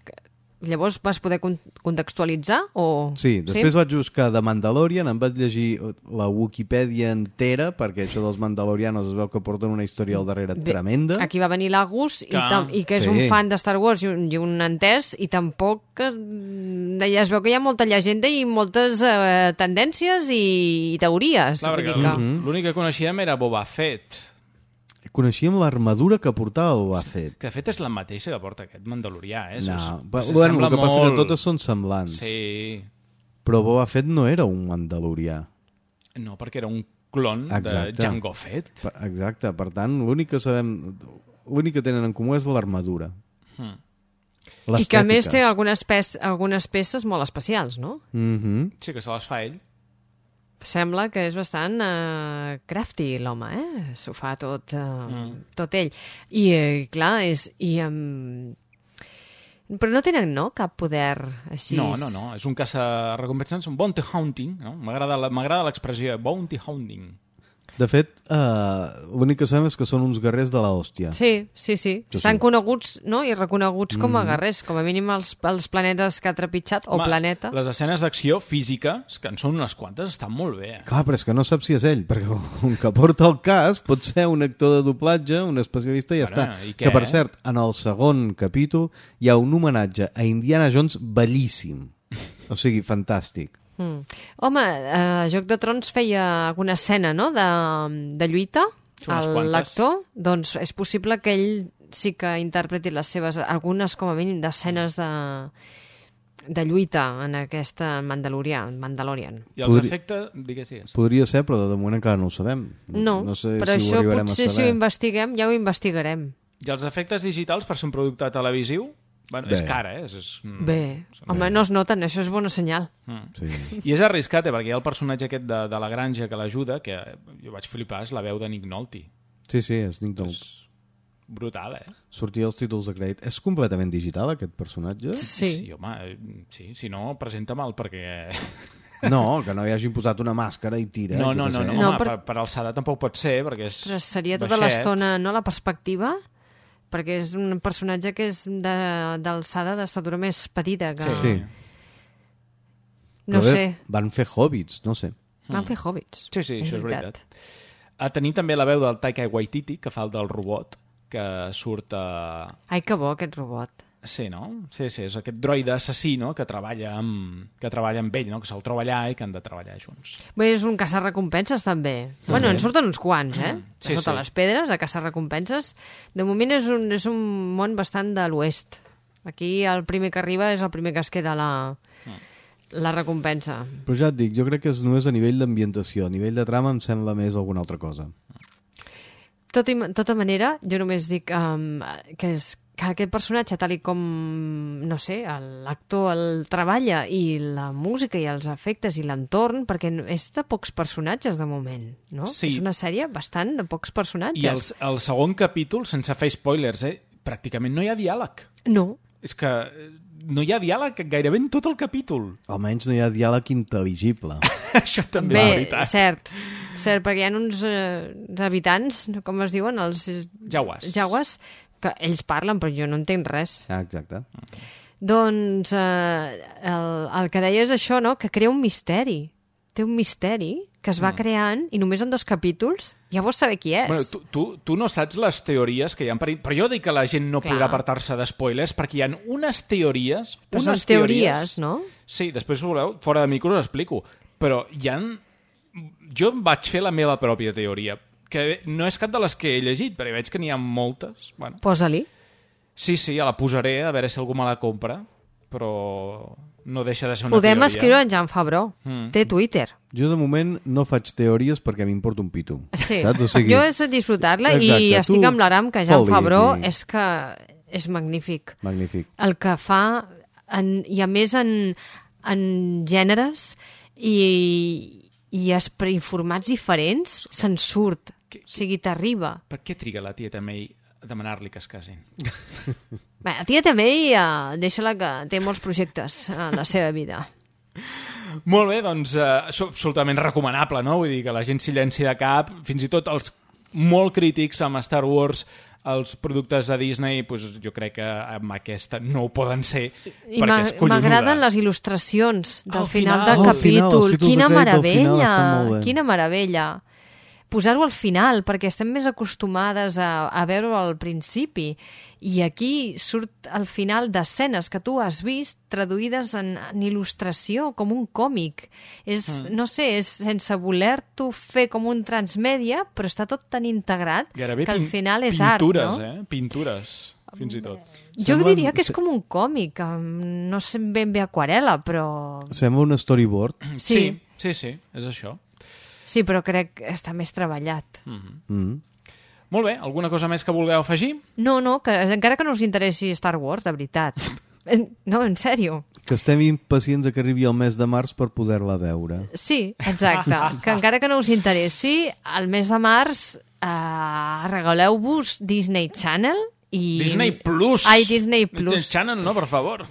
Llavors vas poder contextualitzar? O... Sí, després sí? vaig buscar The Mandalorian, em vaig llegir la Wikipedia entera, perquè això dels Mandalorianos es veu que porten una història al darrere Bé, tremenda. Aquí va venir l'Agus, que... i, i que és sí. un fan de Star Wars i un, i un entès, i tampoc... Ja es veu que hi ha molta llegenda i moltes eh, tendències i, i teories. Clar, perquè que... l'únic que coneixíem era Boba Fett. Coneixíem l'armadura que portava Boba Fett. Que de fet és la mateixa que porta aquest mandalorià, eh? No, es, bueno, el que passa molt... que totes són semblants. Sí. Però Boba Fett no era un mandalorià. No, perquè era un clon Exacte. de Jango Fett. Exacte, per tant, l'únic que sabem... L'únic que tenen en comú és l'armadura. Hmm. I que a més té algunes, pe algunes peces molt especials, no? Mm-hmm. Sí, que se les fa ell. Sembla que és bastant uh, crafty l'home, eh? S'ho fa tot, uh, mm. tot ell. I, uh, clar, és... I, um... Però no tenen, no?, cap poder així... No, no, no. És un caça-recompenses, un bounty hunting, no? M'agrada l'expressió bounty hunting. De fet, uh, l'únic que sabem és que són uns guerrers de l'hòstia. Sí, sí, sí. Jo Estan sí. coneguts, no?, i reconeguts com a mm. guerrers, com a mínim els, els planetes que ha trepitjat, o Home, planeta. Les escenes d'acció físiques, que en són unes quantes, estan molt bé. Eh? Clar, però és que no saps si és ell, perquè un que porta el cas pot ser un actor de doblatge, un especialista i ja Ara, està. I què, que, per eh? cert, en el segon capítol hi ha un homenatge a Indiana Jones bellíssim. O sigui, fantàstic. Mm. Home, eh, Joc de Trons feia alguna escena, no?, de, de lluita, l'actor, doncs és possible que ell sí que interpreti les seves, algunes com a mínim d'escenes de, de lluita en aquesta Mandalorian. Mandalorian. I els Podri... efectes, digues, digues. Podria ser, però de moment encara no ho sabem. No, no sé però si això ho potser si ho investiguem, ja ho investigarem. I els efectes digitals per ser un producte televisiu? Bueno, Bé. és cara, eh? És, Bé, home, no es noten, això és bona senyal. Mm. Sí. I és arriscat, eh? Perquè hi ha el personatge aquest de, de la granja que l'ajuda, que jo vaig flipar, és la veu de Nick Nolte. Sí, sí, és Nick Nolte. És brutal, eh? Sortia els títols de crèdit. És completament digital, aquest personatge? Sí. Sí, home, sí, si no, presenta-me'l perquè... No, que no hi hagin posat una màscara i tira. No, no, no, no, no home, per... per, per alçada tampoc pot ser, perquè és Però seria tota baixet. l'estona, no?, la perspectiva... perquè és un personatge que és d'alçada, d'estatura més petita. Que... Sí. No Però sé. Van fer hobbits, no sé. Van fer hobbits. Sí, sí, és això és veritat. veritat. A tenir també la veu del Taika Waititi, que fa el del robot, que surt a... Ai, que bo, aquest robot. Sí, no? Sí, sí, és aquest droide assassí, no?, que treballa amb, que treballa amb ell, no?, que se'l troba allà i que han de treballar junts. Bé, és un caça-recompenses, també. també. Bueno, en surten uns quants, eh? Sí, sota sí. les pedres, a caça-recompenses. De moment és un, és un món bastant de l'oest. Aquí el primer que arriba és el primer que es queda la, la recompensa. Però ja et dic, jo crec que és només a nivell d'ambientació. A nivell de trama em sembla més alguna altra cosa. Tot i, tota manera, jo només dic um, que és que aquest personatge, tal i com, no sé, l'actor el treballa i la música i els efectes i l'entorn, perquè és de pocs personatges de moment, no? Sí. És una sèrie bastant de pocs personatges. I el, el segon capítol, sense fer spoilers, eh, pràcticament no hi ha diàleg. No. És que no hi ha diàleg gairebé en tot el capítol. Almenys no hi ha diàleg intel·ligible. Això també Bé, és veritat. cert, cert, perquè hi ha uns, eh, uns habitants, com es diuen, els Jaguars. jaguars, que ells parlen, però jo no entenc res. Ah, exacte. Doncs eh, el, el que deia és això, no?, que crea un misteri. Té un misteri que es va mm. creant i només en dos capítols ja vols saber qui és. Bueno, tu, tu, tu no saps les teories que hi ha per... Però jo dic que la gent no Clar. podrà apartar-se d'espoilers perquè hi ha unes teories... Però unes són teories, no? Sí, després, si voleu, fora de micro us explico. Però hi ha... Jo vaig fer la meva pròpia teoria, que no és cap de les que he llegit, però veig que n'hi ha moltes. Bueno. Posa-li. Sí, sí, ja la posaré, a veure si algú me la compra, però no deixa de ser una Podem teoria. escriure en Jan Fabró. Mm. Té Twitter. Jo, de moment, no faig teories perquè m'importa un pito. Sí. Saps? O sigui... Jo és disfrutar-la i Exacte, estic tu amb l'Aram, que Jan foli, Fabró i- és que és magnífic. Magnífic. El que fa, en, i a més en, en gèneres i, i formats diferents, se'n surt. O sigui, t'arriba. Per què triga la tieta May a demanar-li que es casin? Bé, la tia també, uh, deixa-la que té molts projectes en la seva vida. Molt bé, doncs eh, és absolutament recomanable, no? Vull dir que la gent s'hi llenci de cap, fins i tot els molt crítics amb Star Wars, els productes de Disney, pues, jo crec que amb aquesta no ho poden ser, I perquè és collonuda. m'agraden les il·lustracions del Al final, final. del Oh, capítol. final, els títols Quina de crèdit al final meravella! estan molt bé. Quina meravella! Posar-ho al final, perquè estem més acostumades a, a veure-ho al principi. I aquí surt al final d'escenes que tu has vist traduïdes en, en il·lustració, com un còmic. És, mm. no sé, és sense voler-t'ho fer com un transmèdia, però està tot tan integrat Gairebé que al pin- final és pintures, art, no? eh? Pintures, fins i tot. Jo Semblen- diria que és com un còmic, amb- no sé ben bé aquarela, però... Sembla un storyboard. Sí. Sí, sí, sí, és això. Sí, però crec que està més treballat. Mm-hmm. Mm. Molt bé, alguna cosa més que vulgueu afegir? No, no, que encara que no us interessi Star Wars, de veritat. No, en sèrio. Que estem impacients a que arribi el mes de març per poder-la veure. Sí, exacte. Que encara que no us interessi, al mes de març eh, regaleu-vos Disney Channel i... Disney Plus! Ai, Disney Plus. Disney Channel, no, per favor.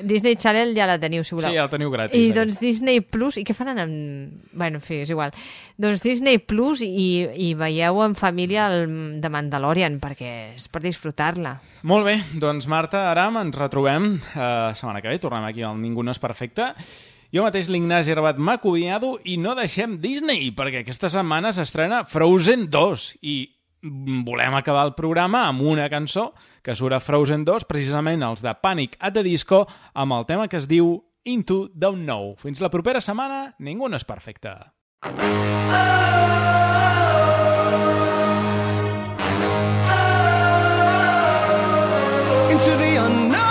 Disney Channel ja la teniu, si voleu. Sí, ja la teniu gratis. I aquesta. doncs Disney Plus, i què faran amb... Bueno, en fi, és igual. Doncs Disney Plus i, i veieu en família el de Mandalorian, perquè és per disfrutar-la. Molt bé, doncs Marta, Aram, ens retrobem la eh, setmana que ve, tornem aquí al Ningú no és perfecte. Jo mateix, l'Ignasi Rabat, m'ha acomiado i no deixem Disney, perquè aquesta setmana s'estrena Frozen dos i volem acabar el programa amb una cançó que surt a Frozen dos, precisament els de Panic at the Disco, amb el tema que es diu Into the Unknown. Fins la propera setmana, Ningú no és perfecte. Into the unknown,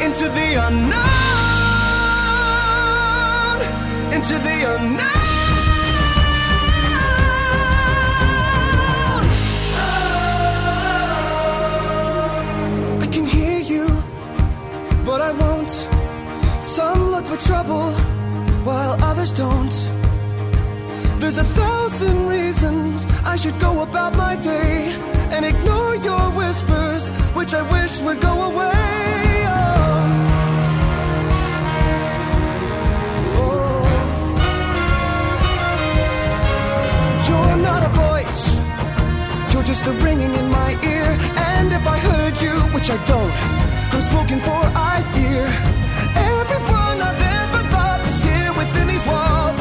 into the unknown, into the unknown. I can hear you, but I won't. Some look for trouble, while others don't. There's a thousand reasons I should go about my day and ignore your whispers, which I wish would go away. Oh. Oh. You're not a voice, you're just a ringing in my ear. And if I heard you, which I don't, I'm spoken for, I fear. Everyone I've ever loved is here within these walls.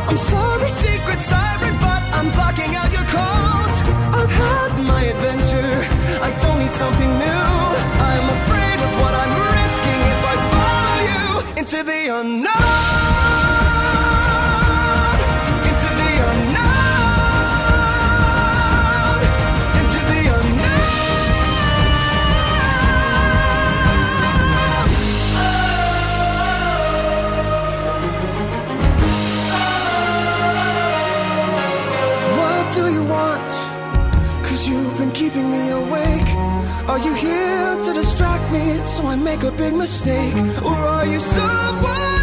I'm sorry, secret siren, but I'm blocking out your calls. I've had my adventure, I don't need something new. I'm afraid of what I'm risking if I follow you into the unknown, into the unknown, into the you've been keeping me awake. Are you here to distract me so I make a big mistake? Or are you someone